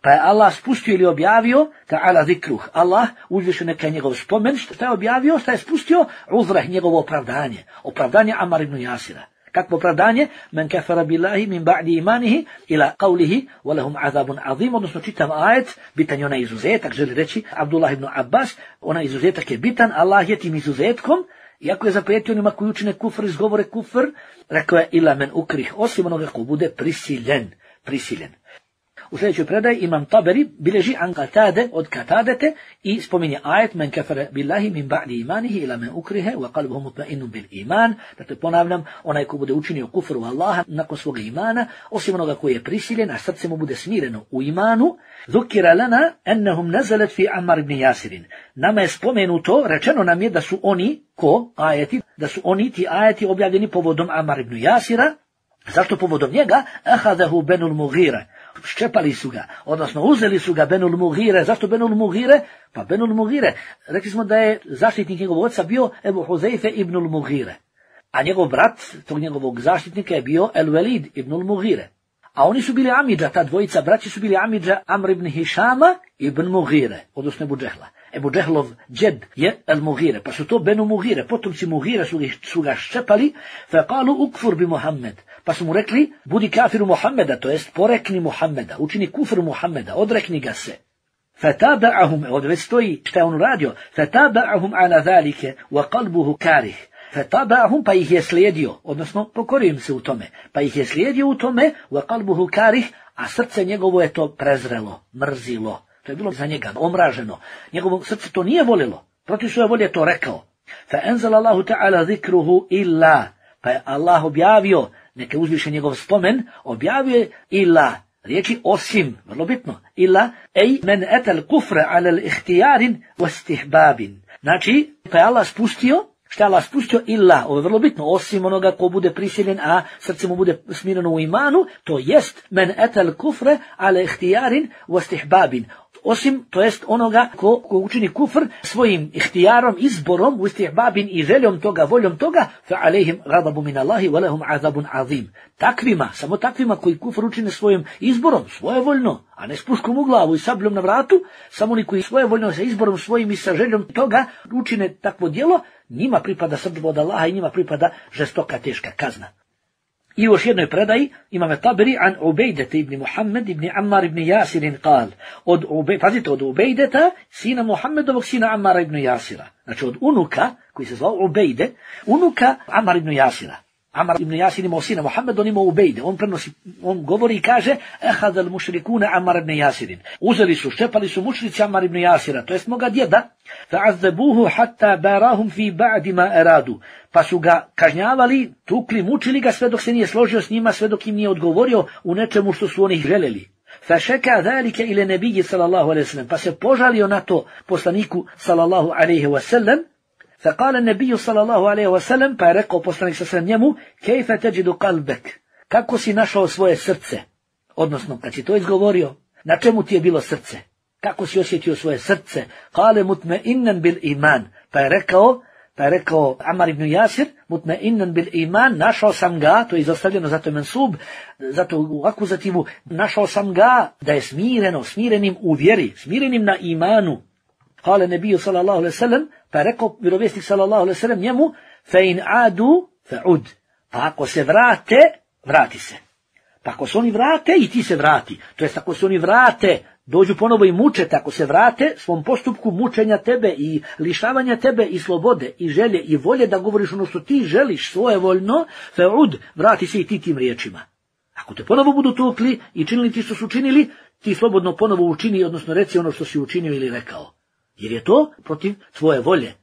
pa je Allah spustio ili objavio ta'ala zikruh, Allah uzvišen neka njegov spomen, što je objavio, što je spustio uzrah, njegovo opravdanje, opravdanje Amar ibn Jasira. Kakvo opravdanje? Men kafara billahi min ba'di imanihi ila qawlihi walahum azabun azim, odnosno čitav ajet, bitan je onaj izuzetak, želi reći Abdullah ibn Abbas, onaj izuzetak je bitan, Allah je tim izuzetkom, iako je zaprijetio onima koji učine kufr, izgovore kufr, rekao je ila men ukrih, osim onoga ko bude prisiljen, prisiljen. U sljedećoj predaji Imam Taberi bilježi an Katade od Katadete i spominje ajet men kafara billahi min ba'di imanihi ila men ukrihe wa qalbuhu mutma'innun bil iman. Dakle, ponavljam, onaj ko bude učinio kufru Allaha nakon svoga imana, osim onoga koji je prisiljen, a srce mu bude smireno u imanu, zukira lana ennahum nazalat fi Ammar ibn Yasirin. Nama je spomenuto, rečeno nam je da su oni, ko ajeti, da su oni ti ajeti objavljeni povodom Ammar ibn Yasira. Zašto povodom njega? Ahadahu Benul Mughira. Ščepali su ga, odnosno uzeli su ga Benul Mughire. Zašto Benul Mughire? Pa Benul Mughire, rekli smo da je zaštitnik njegovog oca bio Ebu Huzeife ibnul Mughire, a njegov brat tog njegovog zaštitnika je bio El Velid ibnul Mughire. A oni su bili amidža, ta dvojica braći su bili amidža Amr ibn Hišama ibn Mughire, odnosno Ebu Džehla. Ebu Džehlov džed je El Mughire, pa su to Benu Mughire, potomci Mughire su, su ga ščepali, fe kalu ukfur bi Muhammed, pa su mu rekli, budi kafiru Muhammeda, to jest porekni Muhammeda, učini kufru Muhammeda, odrekni ga se. Fataba'ahum, ovdje već stoji šta je on radio, fataba'ahum ala zalike, wa qalbuhu karih, Fatabahum, pa ih je slijedio, odnosno pokorio im se u tome, pa ih je slijedio u tome, wa qalbuhu karih, a srce njegovo je to prezrelo, mrzilo. To je bilo za njega omraženo. Njegovo srce to nije volilo, protiv svoje volje to rekao. Fa enzala Allahu ta'ala zikruhu illa, pa je Allah objavio, neka uzviše njegov spomen, objavio je illa, riječi osim, vrlo bitno, illa, ej men etel kufre alel ihtijarin wastihbabin. Znači, pa je Allah spustio, šta je Allah spustio illa, ovo je vrlo bitno, osim onoga ko bude prisiljen, a srce mu bude smireno u imanu, to jest men etel kufre alel ihtijarin wastihbabin. Osim, to jest onoga ko, ko učini kufr svojim ihtijarom, izborom, u istihbabin i željom toga, voljom toga, fa alejhim ghadabu min Allahi wa lahum azabun azim. Takvima, samo takvima koji kufr učine svojim izborom, svojevoljno, a ne s puškom u glavu i sabljom na vratu, samo oni koji svojevoljno sa izborom svojim i sa željom toga učine takvo djelo, njima pripada srdbo od Allaha i njima pripada žestoka teška kazna. I još jednoj predaji imame Taberi an Ubejdete ibn Muhammed ibn Ammar ibn Jasirin kal. Od Ube, pazite, od Ubejdeta, sina Muhammedovog sina Ammara ibn Jasira. Znači od unuka, koji se zvao Ubejde, unuka Ammar ibn Jasira. Ammar ibn Jasir imao sina Muhammed, on imao Ubejde. On prenosi, on govori i kaže, ehad al mušrikune Ammar ibn Jasirin. Uzeli su, ščepali su mušrici Ammar ibn Jasira, to jest moga djeda, fa'azzabuhu hatta barahum fi ba'di ma eradu. Pa su ga kažnjavali, tukli, mučili ga sve dok se nije složio s njima, sve dok im nije odgovorio u nečemu što su oni željeli. Fašeka zalike ile nebiji sallallahu alaihi wasallam. Pa se požalio na to poslaniku sallallahu alaihi wasallam. Faqala nebiju sallallahu alaihi wasallam, pa je rekao poslanik sa njemu, kejfe teđidu kalbek, kako si našao svoje srce? Odnosno, kad si to izgovorio, na čemu ti je bilo srce? Kako si osjetio svoje srce? Kale mutme innan bil iman, pa je rekao, Pa je rekao Ammar ibn Jasir, mutme innan bil iman, našao sam ga, to je izostavljeno, zato je mensub, zato u akuzativu, našao sam ga da je smireno, smirenim u vjeri, smirenim na imanu. Kale nebiju sallallahu alaihi sallam, pa je rekao vjerovjesnik sallallahu alaihi sallam njemu, fe in adu, fe ud. Pa ako se vrate, vrati se. Pa ako se oni vrate, i ti se vrati. To jest ako se oni vrate, dođu ponovo i muče, ako se vrate svom postupku mučenja tebe i lišavanja tebe i slobode i želje i volje da govoriš ono što ti želiš svojevoljno, feud, vrati se i ti tim riječima. Ako te ponovo budu tukli i činili ti što su činili, ti slobodno ponovo učini, odnosno reci ono što si učinio ili rekao. Jer je to protiv tvoje volje.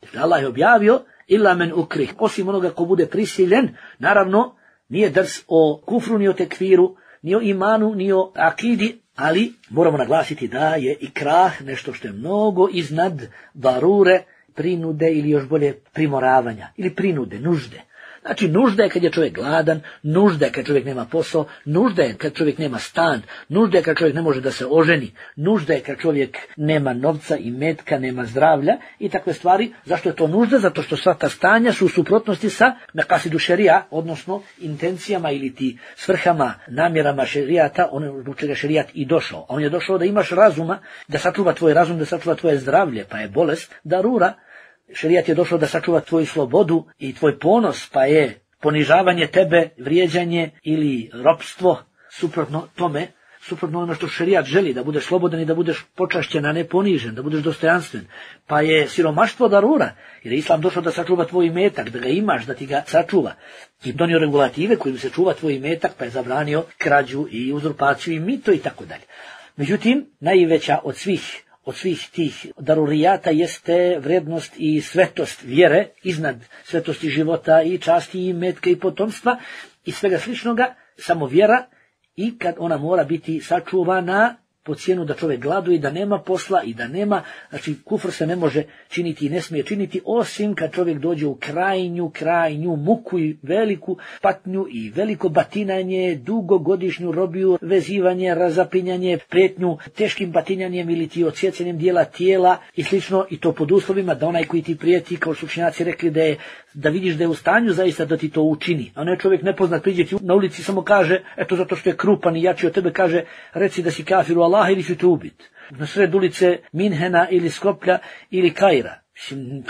Dakle, Allah je objavio, illa men ukrih, osim onoga ko bude prisiljen, naravno, nije drs o kufru, ni o tekfiru, ni o imanu, ni o akidi, ali moramo naglasiti da je ikrah nešto što je mnogo iznad darure, prinude ili još bolje primoravanja, ili prinude, nužde. Znači, nužda je kad je čovjek gladan, nužda je kad čovjek nema posao, nužda je kad čovjek nema stan, nužda je kad čovjek ne može da se oženi, nužda je kad čovjek nema novca i metka, nema zdravlja i takve stvari. Zašto je to nužda? Zato što sva ta stanja su u suprotnosti sa mekasidu šerija, odnosno intencijama ili ti svrhama, namjerama šerijata, ono zbog čega šerijat i došao. On je došao da imaš razuma, da sačuva tvoj razum, da sačuva tvoje zdravlje, pa je bolest darura. Šerijat je došao da sačuva tvoju slobodu i tvoj ponos, pa je ponižavanje tebe, vrijeđanje ili ropstvo, suprotno tome, suprotno ono što šerijat želi, da budeš slobodan i da budeš počašćen, a ne ponižen, da budeš dostojanstven. Pa je siromaštvo darura, jer je Islam došao da sačuva tvoj imetak, da ga imaš, da ti ga sačuva. I donio regulative kojim se čuva tvoj imetak, pa je zabranio krađu i uzurpaciju i mito i tako dalje. Međutim, najveća od svih Od svih tih darurijata jeste vrednost i svetost vjere, iznad svetosti života i časti i metka i potomstva i svega sličnoga, samo vjera, i kad ona mora biti sačuvana po cijenu da čovjek gladuje, da nema posla i da nema, znači kufr se ne može činiti i ne smije činiti osim kad čovjek dođe u krajnju, krajnju muku i veliku patnju i veliko batinanje, dugogodišnju robiju, vezivanje, razapinjanje, prijetnju teškim batinjanjem ili ti odsjecanjem dijela tijela i slično, i to pod uslovima da onaj koji ti prijeti, kao su učenjaci rekli, da je, da vidiš da je u stanju zaista da ti to učini. A ne čovjek nepoznat priđe ti na ulici samo kaže, eto zato što je krupan i jači od tebe, kaže reci da si kafir u Allaha ili ću te ubiti. Na sred ulice Minhena ili Skoplja ili Kaira.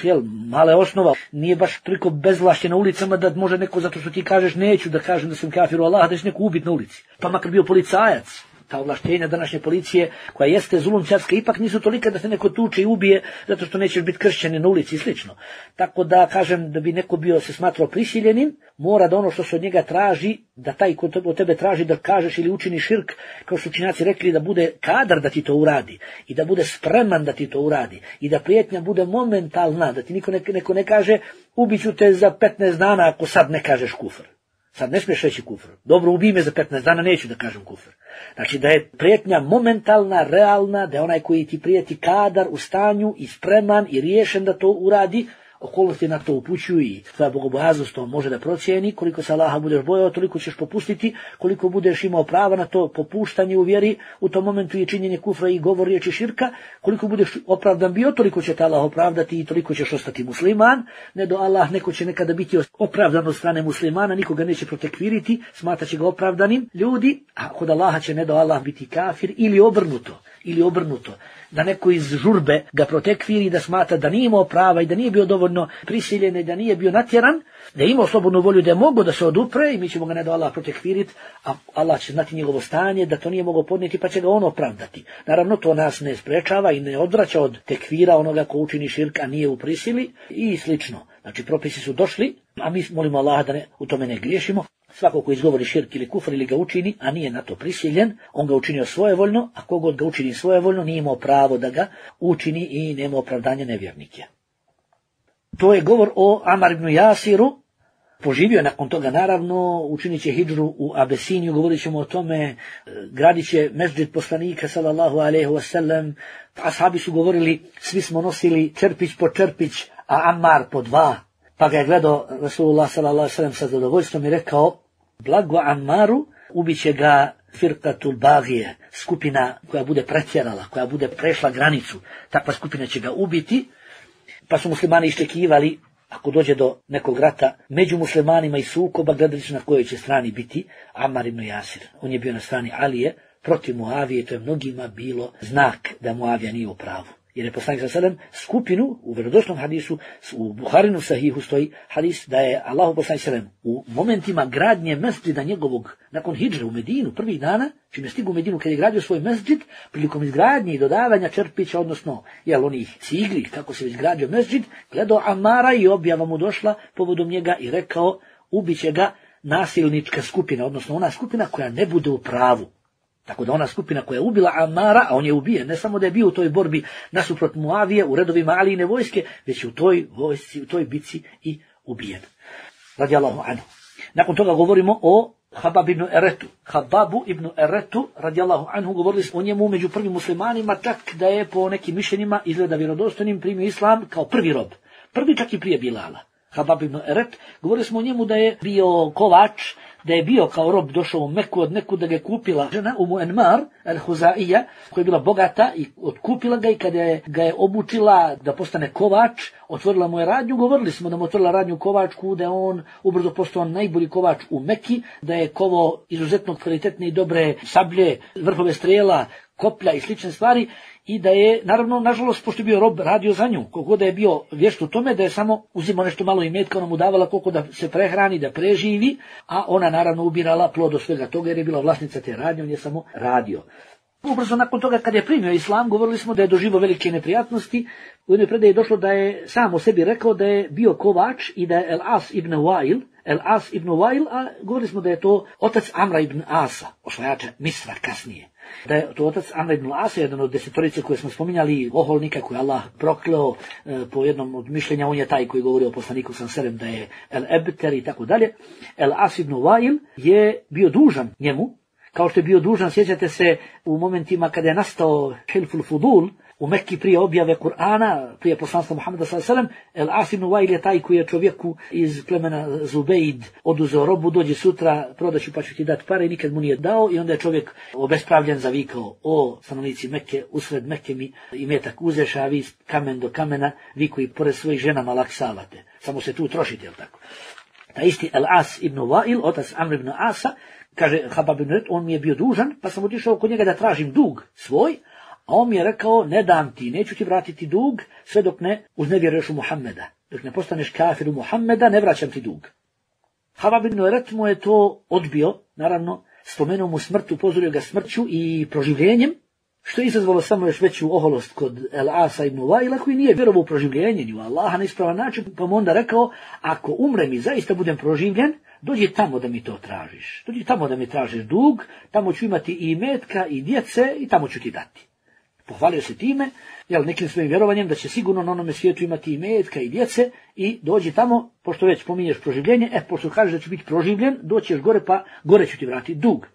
Jel, male osnova, nije baš toliko bezvlašće na ulicama da može neko, zato što ti kažeš neću da kažem da sam kafir u Allaha, da će neko ubiti na ulici. Pa makar bio policajac, ta ovlaštenja današnje policije, koja jeste zulumčarska, ipak nisu tolika da se neko tuče i ubije, zato što nećeš biti kršćanin na ulici i slično. Tako da, kažem, da bi neko bio se smatrao prisiljenim, mora da ono što se od njega traži, da taj ko od tebe traži da kažeš ili učiniš širk, kao što učinjaci rekli, da bude kadar da ti to uradi i da bude spreman da ti to uradi i da prijetnja bude momentalna, da ti niko ne, neko ne kaže ubiću te za petnaest dana ako sad ne kažeš kufr. Sad ne smiješ reći kufr. Dobro, ubij me za petnaest dana, neću da kažem kufr. Znači da je prijetnja momentalna, realna, da je onaj koji ti prijeti kadar u stanju i spreman i riješen da to uradi, okolnosti na to upućuju i tvoja bogobojaznost to može da procijeni, koliko se Allaha budeš bojao, toliko ćeš popustiti, koliko budeš imao prava na to popuštanje u vjeri, u tom momentu je činjenje kufra i govor riječi širka, koliko budeš opravdan bio, toliko će te Allah opravdati i toliko ćeš ostati musliman, ne do Allah, neko će nekada biti opravdan od strane muslimana, nikoga neće protekviriti, smataće ga opravdanim ljudi, a kod Allaha će ne do Allah biti kafir ili obrnuto, ili obrnuto. Da neko iz žurbe ga protekviri, da smatra da nije imao prava i da nije bio dovoljno prisiljen i da nije bio natjeran, da je imao slobodnu volju da je mogao da se odupre i mi ćemo ga ne do Allah protekviriti, a Allah će znati njegovo stanje, da to nije mogao podnijeti pa će ga on opravdati. Naravno to nas ne sprečava i ne odvraća od tekvira onoga ko učini širk, a nije u prisili i slično. Znači propisi su došli, a mi molimo Allaha da ne, u tome ne griješimo. Svako ko izgovori širk ili kufr ili ga učini, a nije na to prisiljen, on ga učinio svojevoljno, a kogod ga učini svojevoljno nije imao pravo da ga učini i nema opravdanja nevjernike. To je govor o Amar ibn Jasiru. Poživio je nakon toga, naravno, učinit će hidžru u Abesiniju, govorit ćemo o tome, gradit će mesdžid poslanika, sallallahu alejhi ve sellem, ashabi su govorili, svi smo nosili čerpić po čerpić, a Ammar po dva. Pa ga je gledao Rasulullah sallallahu alejhi ve sellem sa zadovoljstvom i rekao, blago Ammaru, ubiće ga firqatul bagije, skupina koja bude pretjerala, koja bude prešla granicu, takva skupina će ga ubiti. Pa su muslimani iščekivali, ako dođe do nekog rata među muslimanima i sukoba, gledali su na kojoj će strani biti Ammar ibn Jasir. On je bio na strani Alije, protiv Muavije, to je mnogima bilo znak da Muavija nije u pravu. Jer je poslanik sallallahu alejhi ve sellem skupinu, u vjerodostojnom hadisu, u Buharinu sahihu stoji hadis da je Allahu poslanik sallallahu alejhi ve sellem u momentima gradnje mesdžida njegovog, nakon hidžre u Medinu, prvih dana, čim je stigao u Medinu kad je gradio svoj mesdžid, prilikom izgradnje i dodavanja čerpića, odnosno jel onih cigli, kako se izgradio mesdžid, gledao Amara i objava mu došla povodom njega i rekao, ubiće ga nasilnička skupina, odnosno ona skupina koja ne bude u pravu. Tako da ona skupina koja je ubila Amara, a on je ubijen, ne samo da je bio u toj borbi nasuprot Muavije u redovima Alijine vojske, već u toj vojsci, u toj bici i ubijen. Radijallahu anhu. Nakon toga govorimo o Habab ibn Eretu. Hababu ibn Eretu, radijallahu anhu, govorili smo o njemu među prvim muslimanima, čak da je po nekim mišljenjima izgleda vjerodostojnim primio islam kao prvi rob. Prvi čak i prije Bilala. Habab ibn Eret, govorili smo o njemu da je bio kovač, da je bio kao rob došao u Meku od neku, da ga je kupila žena Umu Enmar al-Huzaija, koja je bila bogata i otkupila ga i kada je, ga je obučila da postane kovač, otvorila mu je radnju, govorili smo da mu otvorila radnju kovačku, da je on ubrzo postao najbolji kovač u Meki, da je kovo izuzetno kvalitetne i dobre sablje, vrhove strela, koplja i slične stvari, i da je, naravno, nažalost, pošto je bio rob, radio za nju, koliko da je bio vješt u tome, da je samo uzimao nešto malo imetka, ona mu davala koliko da se prehrani, da preživi, a ona naravno ubirala plod od svega toga jer je bila vlasnica te radnje, on je samo radio. Ubrzo nakon toga kad je primio islam, govorili smo da je doživio velike neprijatnosti. U jednoj predaji je došlo da je sam o sebi rekao da je bio kovač i da je El As ibn Wail, El As ibn Wail, a govorili smo da je to otac Amra ibn Asa, osvajača Misra kasnije. Da je to otac Amra ibn Asa, jedan od desetorice koje smo spominjali, oholnika koji Allah prokleo, e, po jednom od mišljenja, on je taj koji govori o poslaniku sam selem da je El Ebter i tako dalje. El As ibn Wail je bio dužan njemu, kao što je bio dužan, sjećate se, u momentima kada je nastao Hilful Fudul, u Mekki prije objave Kur'ana, prije poslanstva Muhammeda sallallahu alejhi ve sellem, El As ibn Wail je taj koji je čovjeku iz plemena Zubejd oduzeo robu, dođe sutra, prodaću pa ću ti dati pare, i nikad mu nije dao, i onda je čovjek obespravljen zavikao, o stanovnici Mekke, usred Mekke mi imetak uzeš, a vi kamen do kamena, vi koji pored svojih ženama laksavate, samo se tu trošite, jel tako? Ta isti El As ibn Wail, otac Amr ibn Asa, kaže Habab ibn Eret, on mi je bio dužan, pa sam otišao kod njega da tražim dug svoj, a on mi je rekao, ne dam ti, neću ti vratiti dug, sve dok ne uznevjeruješ u Muhammeda. Dok ne postaneš kafir u Muhammeda, ne vraćam ti dug. Habab ibn Eret mu je to odbio, naravno, spomenuo mu smrt, upozorio ga smrću i proživljenjem, što je izazvalo samo još veću oholost kod El-Asa ibn Waila, koji nije vjerovao u proživljenje ni u Allaha na ispravan način, pa mu onda rekao, ako umrem i zaista budem proživljen, dođi tamo da mi to tražiš. Dođi tamo da mi tražiš dug, tamo ću imati i imetka i djece i tamo ću ti dati. Pohvalio se time, jel, nekim svojim vjerovanjem da će sigurno na onome svijetu imati i imetka i djece i dođi tamo, pošto već spominješ proživljenje, e, pošto kažeš da će biti proživljen, doćeš gore pa gore ću ti vratiti dug.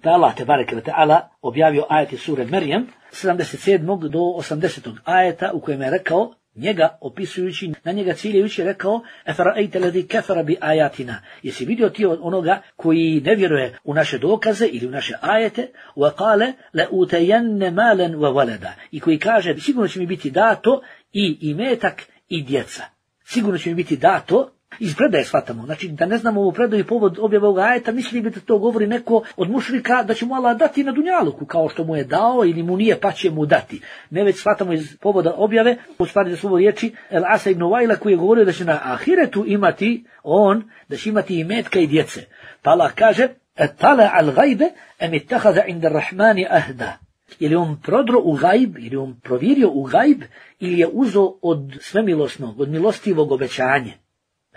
Pa Allah te bareke ve taala objavio ajete sure Merjem, sedamdeset sedmog do osamdesetog ajeta u kojem je rekao, njega opisujući, na njega ciljajući rekao, efara'ejte lezi kefara bi ajatina. Jesi vidio ti onoga koji ne vjeruje u naše dokaze ili u naše ajete, wa kale le utejenne malen wa walada. I koji kaže, sigurno će mi biti dato i imetak i djeca. Sigurno će mi biti dato. Iz predaje shvatamo, znači da ne znamo ovu predaju povod objave ovog ajeta, misli bi da to govori neko od mušrika da će mu Allah dati na dunjaluku, kao što mu je dao ili mu nije pa će mu dati. Ne, već shvatamo iz povoda objave, u stvari da su ovo riječi El-Asa ibn Waila koji je govorio da će na ahiretu imati on, da će imati imetka i djece. Pa Allah kaže, etala al gajbe em ittahaza inda rahmani ahda. Ili on prodro u gajb, ili on provjerio u gajb, ili je uzo od svemilosnog, od milostivog obećanje.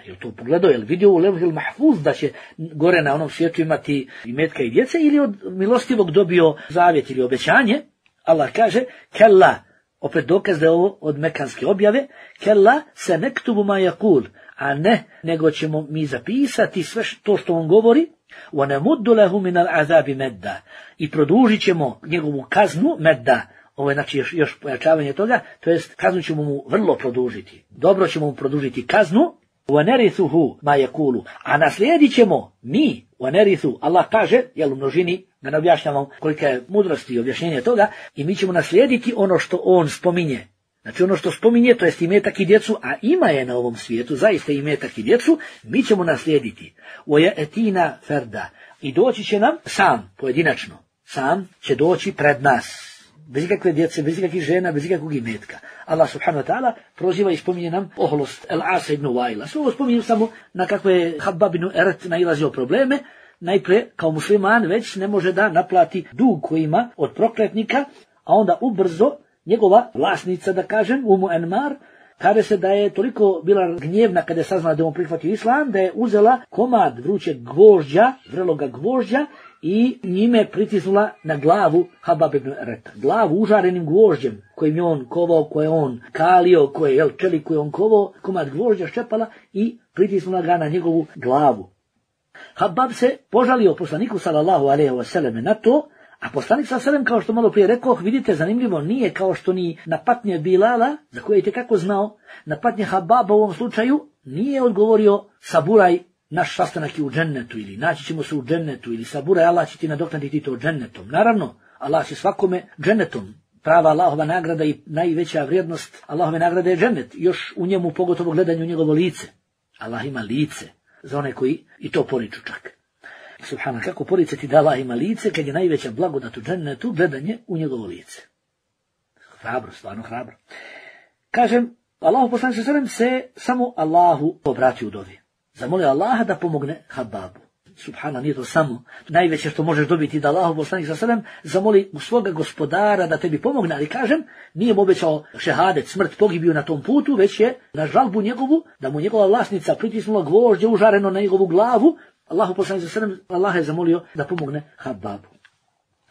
Je li to pogledao, je li vidio u Levhil Mahfuz da će gore na onom svijetu imati imetka i djece, ili od milostivog dobio zavjet ili obećanje? Allah kaže, kella, opet dokaz da je ovo od mekanske objave, kella se nektubu ma yakul, a ne, nego ćemo mi zapisati sve to što on govori, wa namuddu lahu min al-azabi medda, i produžit ćemo njegovu kaznu medda. Ovo je znači još, još pojačavanje toga, to jest kaznu ćemo mu vrlo produžiti. Dobro ćemo mu produžiti kaznu, وَنَرِثُهُ مَا يَقُولُ, a naslijedit ćemo mi, وَنَرِثُ, Allah kaže, jel u množini, da ne objašnjavam kolika je mudrost i objašnjenje toga, i mi ćemo naslijediti ono što on spominje. Znači ono što spominje, to jest imetak i djecu, a ima je na ovom svijetu, zaista imetak i djecu, mi ćemo naslijediti. وَيَأْتِينَا فَرْدًا, i doći će nam sam, pojedinačno, sam će doći pred nas. Bez ikakve djece, bez ikakvih žena, bez ikakvog imetka. Allah subhanahu wa ta'ala proziva i spominje nam oholost El-Asa ibn Waila. Sve ovo spominjem samo na kakve je Habab ibn Eret nailazio probleme. Najprije, kao musliman, već ne može da naplati dug koji ima od prokletnika, a onda ubrzo njegova vlasnica, da kažem, Umu Enmar, kaže se da je toliko bila gnjevna kada je saznala da on prihvatio islam, da je uzela komad vrućeg gvožđa, vreloga gvožđa, i njime pritisnula na glavu Habab ibn Ereta. Glavu užarenim gvožđem kojim je on kovao, koje je on kalio, koje je čelik koji je on kovao, komad gvožđa ščepala i pritisnula ga na njegovu glavu. Habab se požalio poslaniku sallallahu alejhi ve selleme na to, a poslanik sallallahu alejhi ve sellem, kao što malo prije rekao, vidite, zanimljivo, nije kao što ni na patnje Bilala, za koje je tekako znao, na patnje Hababa u ovom slučaju nije odgovorio saburaj, naš sastanak je u džennetu, ili naći ćemo se u džennetu, ili saburaj, Allah će ti nadoknaditi to džennetom. Naravno, Allah će svakome džennetom. Prava Allahova nagrada i najveća vrijednost Allahove nagrade je džennet. Još u njemu pogotovo gledanju njegovo lice. Allah ima lice za one koji i to poriču čak. Subhana, kako poricati da Allah ima lice kad je najveća blagodat u džennetu gledanje u njegovo lice. Hrabro, stvarno hrabro. Kažem, Allahu poslanik sallallahu alejhi ve sellem se samo Allahu obratio u dovi. Zamolio Allaha da pomogne Hababu. Subhana, nije to samo najveće što možeš dobiti, da Allahu poslanik sallallahu alejhi ve sellem zamoli u svoga gospodara da tebi pomogne, ali kažem, nije mu obećao šehadet, smrt, pogibiju na tom putu, već je na žalbu njegovu, da mu njegova vlasnica pritisnula gvožđe užareno na njegovu glavu, Allahu poslanik sallallahu alejhi ve sellem, Allah je zamolio da pomogne Hababu.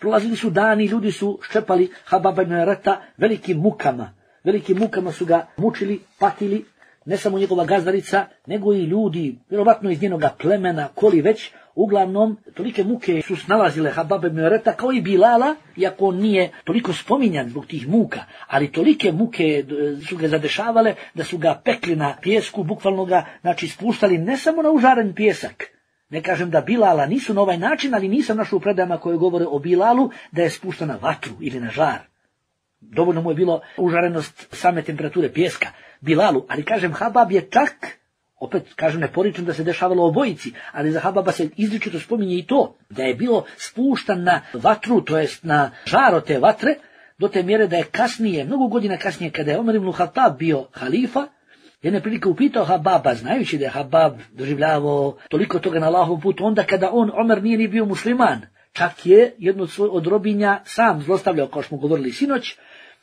Prolazili su dani, ljudi su ščepali Hababa ibn Ereta velikim mukama. Velikim mukama su ga mučili, patili, ne samo njegova gazdarica, nego i ljudi, vjerovatno iz njenoga plemena, koli već, uglavnom, tolike muke su snalazile Hababa ibn Ereta kao i Bilala, iako on nije toliko spominjan zbog tih muka, ali tolike muke su ga zadešavale da su ga pekli na pijesku, bukvalno ga, znači, spuštali ne samo na užaren pijesak. Ne kažem da Bilala nisu na ovaj način, ali nisam našao u predajama koje govore o Bilalu da je spušta na vatru ili na žar. Dovoljno mu je bilo užarenost same temperature pijeska Bilalu, ali kažem, Habab je čak, opet kažem, ne poričem da se dešavalo obojici, ali za Hababa se izričito spominje i to, da je bilo spuštan na vatru, to jest na žaro te vatre, do te mjere da je kasnije, mnogo godina kasnije, kada je Omer ibn Khattab bio halifa, jedne prilike upitao Hababa, znajući da je Habab doživljavao toliko toga na Allahovom putu, onda kada on, Omer, nije ni bio musliman, čak je jedno od, svoj, od robinja sam zlostavljao, kao što smo govorili sinoć,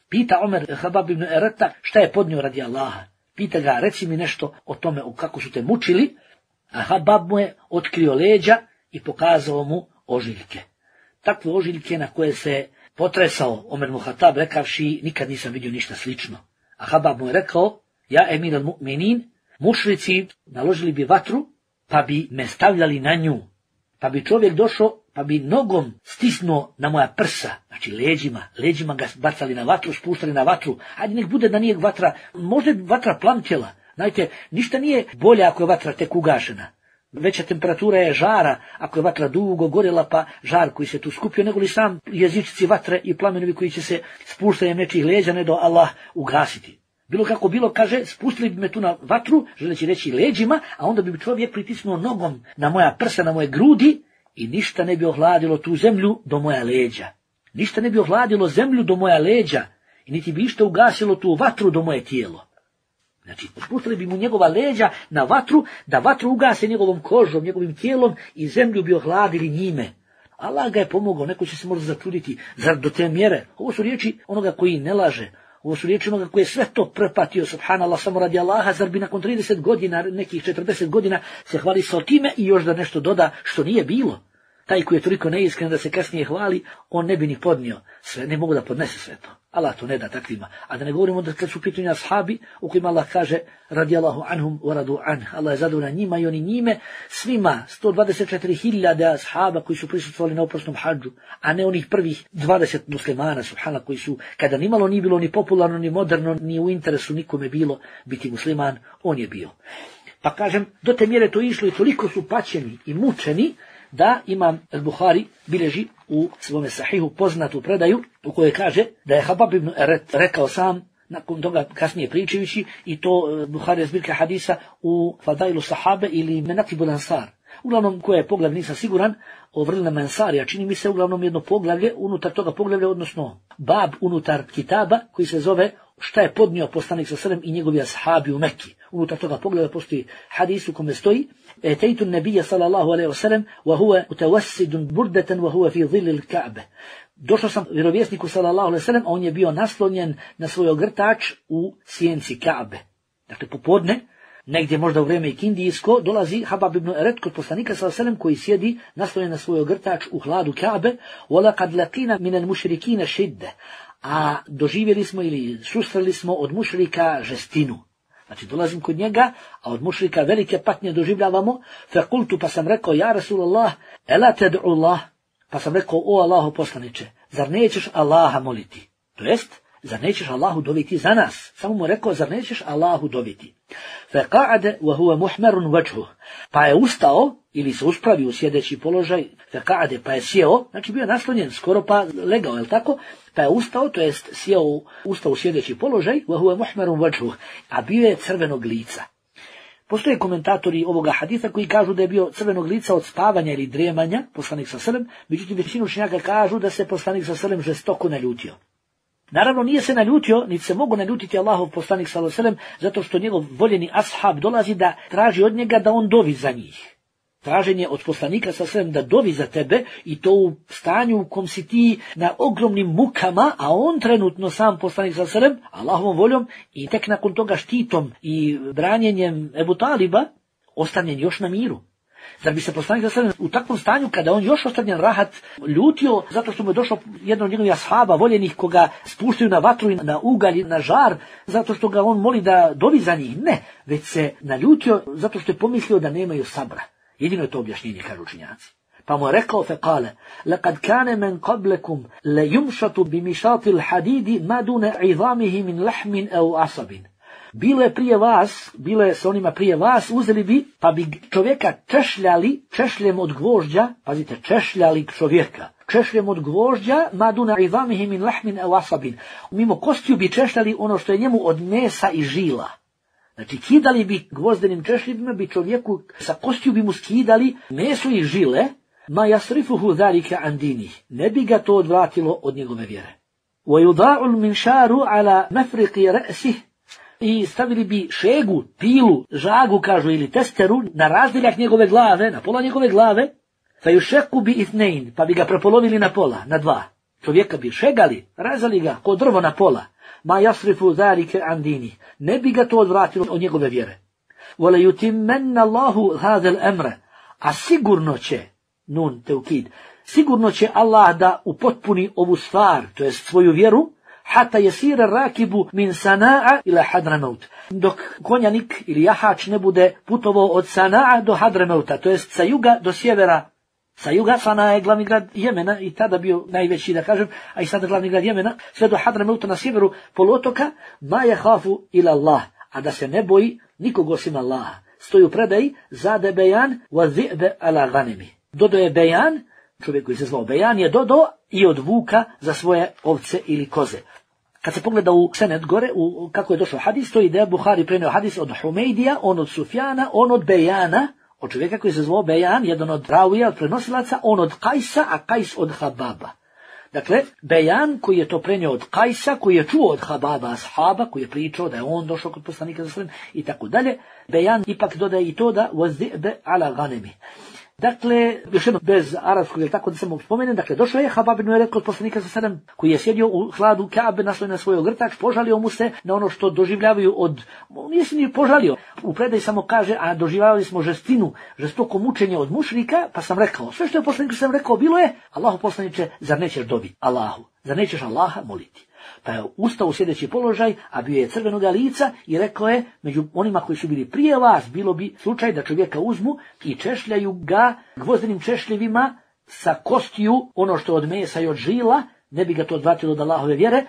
pita Omer Habab ibn Ereta šta je podnio radi Allaha. Pita ga, reci mi nešto o tome, o kako su te mučili, a Habab mu je otkrio leđa i pokazao mu ožiljke. Takve ožiljke na koje se potresao Omer Muhatab rekavši, nikad nisam vidio ništa slično. A Habab mu je rekao, ja emir al-mu'minin, mušrici naložili bi vatru, pa bi me stavljali na nju, pa bi čovjek došao, pa bi nogom stisnuo na moja prsa, znači leđima, leđima ga bacali na vatru, spuštali na vatru, hajde nek bude da nije vatra, možda je vatra plamtjela, znajte, ništa nije bolje ako je vatra tek ugašena. Veća temperatura je žara, ako je vatra dugo gorjela, pa žar koji se tu skupio, nego li sam jezičici vatre i plamenovi koji će se spuštanjem nečih leđa, ne do Allah ugasiti. Bilo kako bilo, kaže, spustili bi me tu na vatru, želeći reći leđima, a onda bi čovjek pritisnuo nogom na moja prsa, na moje grudi i ništa ne bi ohladilo tu zemlju do moja leđa. Ništa ne bi ohladilo zemlju do moja leđa i niti bi išta ugasilo tu vatru do moje tijelo. Znači, spustili bi mu njegova leđa na vatru, da vatru ugase njegovom kožom, njegovim tijelom i zemlju bi ohladili njime. Allah ga je pomogao, neko će se možda začuditi, zar do te mjere? Ovo su riječi onoga koji ne laže. Ovo su riječi onoga koji je sve to prepatio, subhanallah, samo radi Allaha, zar bi nakon trideset godina, nekih četrdeset godina se hvali sa time i još da nešto doda što nije bilo. Taj koji je toliko neiskren da se kasnije hvali, on ne bi ni podnio sve, ne mogu da podnese sve to. Allah to ne da takvima. A da ne govorimo da kad su pitanja ashabi, u kojima Allah kaže, radijallahu anhum wa radu an, Allah je zadovoljan njima i oni njime, svima sto dvadeset četiri hiljade ashaba koji su prisustvovali na oprosnom hadžu, a ne onih prvih dvadeset muslimana, subhanallah, koji su, kada nimalo nije bilo ni popularno, ni moderno, ni u interesu nikome bilo biti musliman, on je bio. Pa kažem, do te mjere to išlo i toliko su paćeni i mučeni, da imam al-Buhari bilježi u svome sahihu poznatu predaju u kojoj kaže da je Habab ibn Eret rekao sam, nakon toga kasnije pričajući, i to Buhari zbirka hadisa u Fadailu Sahabe ili Menakibul Ansar. Uglavnom, koje je poglavlje, nisam siguran, o vrlinama Ansarija, čini mi se uglavnom jedno poglavlje, unutar toga poglavlja, odnosno bab unutar kitaba, koji se zove šta je podnio poslanik sa selem i njegovi ashabi u Mekki. Unutar toga poglavlja postoji hadis u kome stoji etejtu nabija sallallahu alejhi ve sellem wa huwa mutawassidun burdatan wa huwa fi dhilli al-Ka'be. Došao sam vjerovjesniku sallallahu alejhi ve sellem, a on je bio naslonjen na svoj ogrtač u sjenci Ka'be. Dakle, popodne, negdje možda u vrijeme ikindijsko, dolazi Habab ibn Eret kod poslanika sallallahu alejhi ve sellem koji sjedi naslonjen na svoj ogrtač u hladu Ka'be, wa laqad laqina min al-mushrikina shidda. A doživjeli smo ili susreli smo od mušrika žestinu. Znači, dolazim kod njega, a od mušrika velike patnje doživljavamo, fekultu, pa sam rekao, ja Rasulallah, ela ted'u Allah, pa sam rekao, o Allahu poslaniče, zar nećeš Allaha moliti? To jest, zar nećeš Allahu doviti za nas? Samo mu rekao, zar nećeš Allahu doviti? Feka'ade wa huwa muhmerun vajhuh, pa je ustao, ili se uspravio u sjedeći položaj, feka'ade, pa je sjeo, znači bio je naslonjen, skoro pa legao, je li tako? Pa je ustao, to jest sjeo, ustao u sjedeći položaj, wa huwa muhmerun vajhuh, a bio je crvenog lica. Postoje komentatori ovoga hadisa koji kažu da je bio crvenog lica od spavanja ili dremanja, poslanik sa selem, međutim većinu učenjaka kažu da se poslanik sa selem žestoko naljutio. Naravno, nije se naljutio, niti se mogu naljutiti Allahov poslanik sallallahu alejhi ve sellem, zato što njegov voljeni ashab dolazi da traži od njega da on dovi za njih. Traženje od poslanika sallallahu alejhi ve sellem da dovi za tebe, i to u stanju u kom si ti na ogromnim mukama, a on trenutno sam poslanik sallallahu alejhi ve sellem, Allahovom voljom i tek nakon toga štitom i branjenjem Ebu Taliba, ostavljen još na miru. Zar bi se poslanik sallallahu alejhi ve sellem u takvom stanju, kada on još ostavljen rahat, ljutio zato što mu je došao jedan od njegovih ashaba voljenih koga spuštaju na vatru i na ugalj, na žar, zato što ga on moli da dovi za njih? Ne, već se naljutio zato što je pomislio da nemaju sabra. Jedino je to objašnjenje, kažu učenjaci. Pa mu je rekao, fekale, lekad kane men qablekum le yumšatu bi mišatil hadidi madune idamihi min lahmin au asabin. Bilo je prije vas, bilo je sa onima prije vas, uzeli bi, pa bi čovjeka češljali, češljem od gvožđa, pazite, češljali čovjeka, češljem od gvožđa, maduna idamihi min lahmin au asabin. Mimo kostiju bi češljali ono što je njemu od mesa i žila. Znači, kidali bi gvozdenim češljima, bi čovjeku sa kostiju bi mu skidali meso i žile, ma jasrifuhu zalika an dinih. Ne bi ga to odvratilo od njegove vjere. Wa yuda'u al-minsharu ala mafriqi ra'sih i stavili bi šegu, pilu, žagu, kažu, ili testeru na razdeljak njegove glave, na pola njegove glave, fa yushaqu bi ithnain, pa bi ga prepolovili na pola, na dva. Čovjeka bi šegali, razali ga ko drvo na pola. Ma yasrifu zalika an dini. Ne bi ga to odvratilo od njegove vjere. Wala yutimmanna Allahu hadha al-amra. A sigurno će, nun teukid, sigurno će Allah da upotpuni ovu stvar, to jest svoju vjeru, hata yasira rakibu min Sana'a ila Hadramaut. Dok konjanik ili jahač ne bude putovao od Sana'a do Hadramauta, to jest sa juga do sjevera. Sa juga, Sana je glavni grad Jemena i tada bio najveći, da kažem, a i sada glavni grad Jemena, sve do Hadramauta na sjeveru poluotoka, ma yahafu ila Allah, a da se ne boji nikog osim Allaha. Stoji u predaji, zade bejan wa zi'be ala ghanimi. Dodo je bejan, čovjek koji se zvao Bejan, je dodo i od vuka za svoje ovce ili koze. Kad se pogleda u senet gore, u, kako je došao hadis, stoji da je Buhari prenio hadis od Humejdija, on od Sufjana, on od Bejana, od čovjeka koji se zvao Bejan, jedan od ravija, od prenosilaca, on od Kajsa, a Kajs od Hababa. Dakle, Bejan koji je to prenio od Kajsa, koji je čuo od Hababa ashaba, koji je pričao da je on došao kod poslanika za sallam i tako dalje, Bejan ipak dodaje i to da wazi'be ala ghanimi. Dakle, još jedno bez arapskog, ili tako da samo spomenem, dakle, došao je Habab ibn Eret kod poslanika sa sallam, koji je sjedio u hladu Kaabe, naslonjen na svoj ogrtač, požalio mu se na ono što doživljavaju od, nije se ni požalio, u predaj samo kaže, a doživljavali smo žestinu, žestoko mučenje od mušrika, pa sam rekao, sve što je poslanik sam rekao bilo je, Allahu poslaniče, zar nećeš dobiti Allahu, zar nećeš Allaha moliti? Pa je ustao u sjedeći položaj, a bio je crvenoga lica i rekao je, među onima koji su bili prije vas, bilo bi slučaj da čovjeka uzmu i češljaju ga gvozdenim češljevima sa kostiju, ono što od mesa i od žila, ne bi ga to odvratilo od Allahove vjere,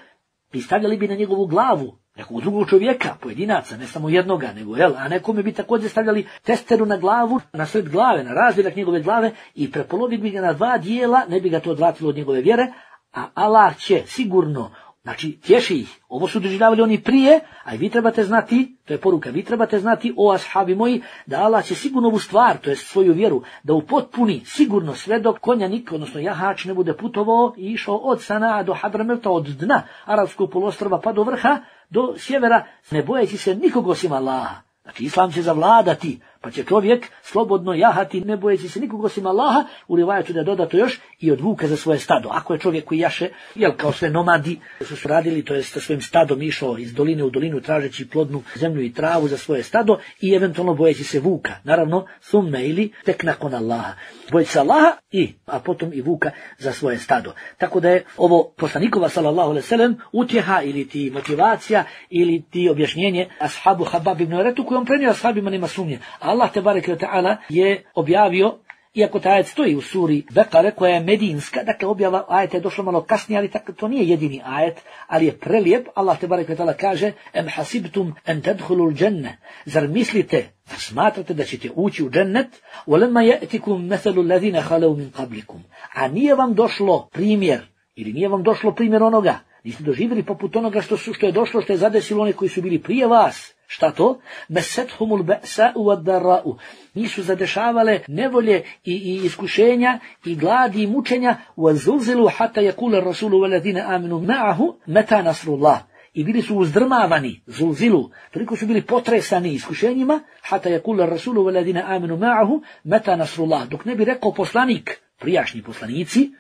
i stavljali bi na njegovu glavu nekog drugog čovjeka, pojedinaca, ne samo jednoga, nego, jel, a nekome bi također stavljali testeru na glavu, na sred glave, na razdeljak njegove glave i prepolovili bi ga na dva dijela, ne bi ga to odvratilo od njegove vjere, a Allah će sigurno, znači, tješi ih. Ovo su doživljavali oni prije, a i vi trebate znati, to je poruka, vi trebate znati, o ashabi moji, da Allah će sigurno ovu stvar, to je svoju vjeru, da upotpuni sigurno sve dok konjanik, odnosno jahač, ne bude putovao i išao od Sana'a do Hadramauta, od dna arapskog poluostrva pa do vrha, do sjevera, ne bojeći se nikog osim Allaha. Znači, islam će zavladati, pa će čovjek slobodno jahati, ne bojeći se nikog osim Allaha, u rivajetu da je dodato još i od vuka za svoje stado. Ako je čovjek koji jaše, jel, kao sve nomadi su su radili, to je sa svojim stadom išao iz doline u dolinu tražeći plodnu zemlju i travu za svoje stado i eventualno bojeći se vuka. Naravno, summe ili tek nakon Allaha. Bojeći se Allaha i, a potom i vuka za svoje stado. Tako da je ovo poslanikova sallallahu alejhi ve sellem utjeha ili ti motivacija ili ti objašnjenje ashabu Habab ibn Eretu koji on prenio ashabima, nema sumnje. Allah tebareke ve taala je objavio, iako taj ajet stoji u suri Bekare koja je medinska, dakle objava ajeta je došla malo kasnije, ali tako, to nije jedini ajet, ali je prelijep. Allah tebareke ve taala kaže: "Em hasibtum an tadkhulul dženne." Zar mislite, zar smatrate da ćete ući u džennet? "Walamma ya'tikum mathalu alladhina khalu min qablikum." A nije vam došlo primjer, ili nije vam došlo primjer onoga, niste doživjeli poput onoga što su što je došlo, što je zadesilo one koji su bili prije vas. Šta to? Mesethumul ba'sa'u wad-darra'u. Nisu zadešavale nevolje i, i iskušenja i gladi i mučenja. Wazulzilu hatta yaqula ar-rasulu walladhina amanu ma'ahu mata nasrullah. I bili su uzdrmavani, zulzilu, toliko su bili potresani iskušenjima, hatta yaqula ar-rasulu walladhina amanu ma'ahu mata nasrullah. Dok ne bi rekao poslanik, prijašnji poslanici,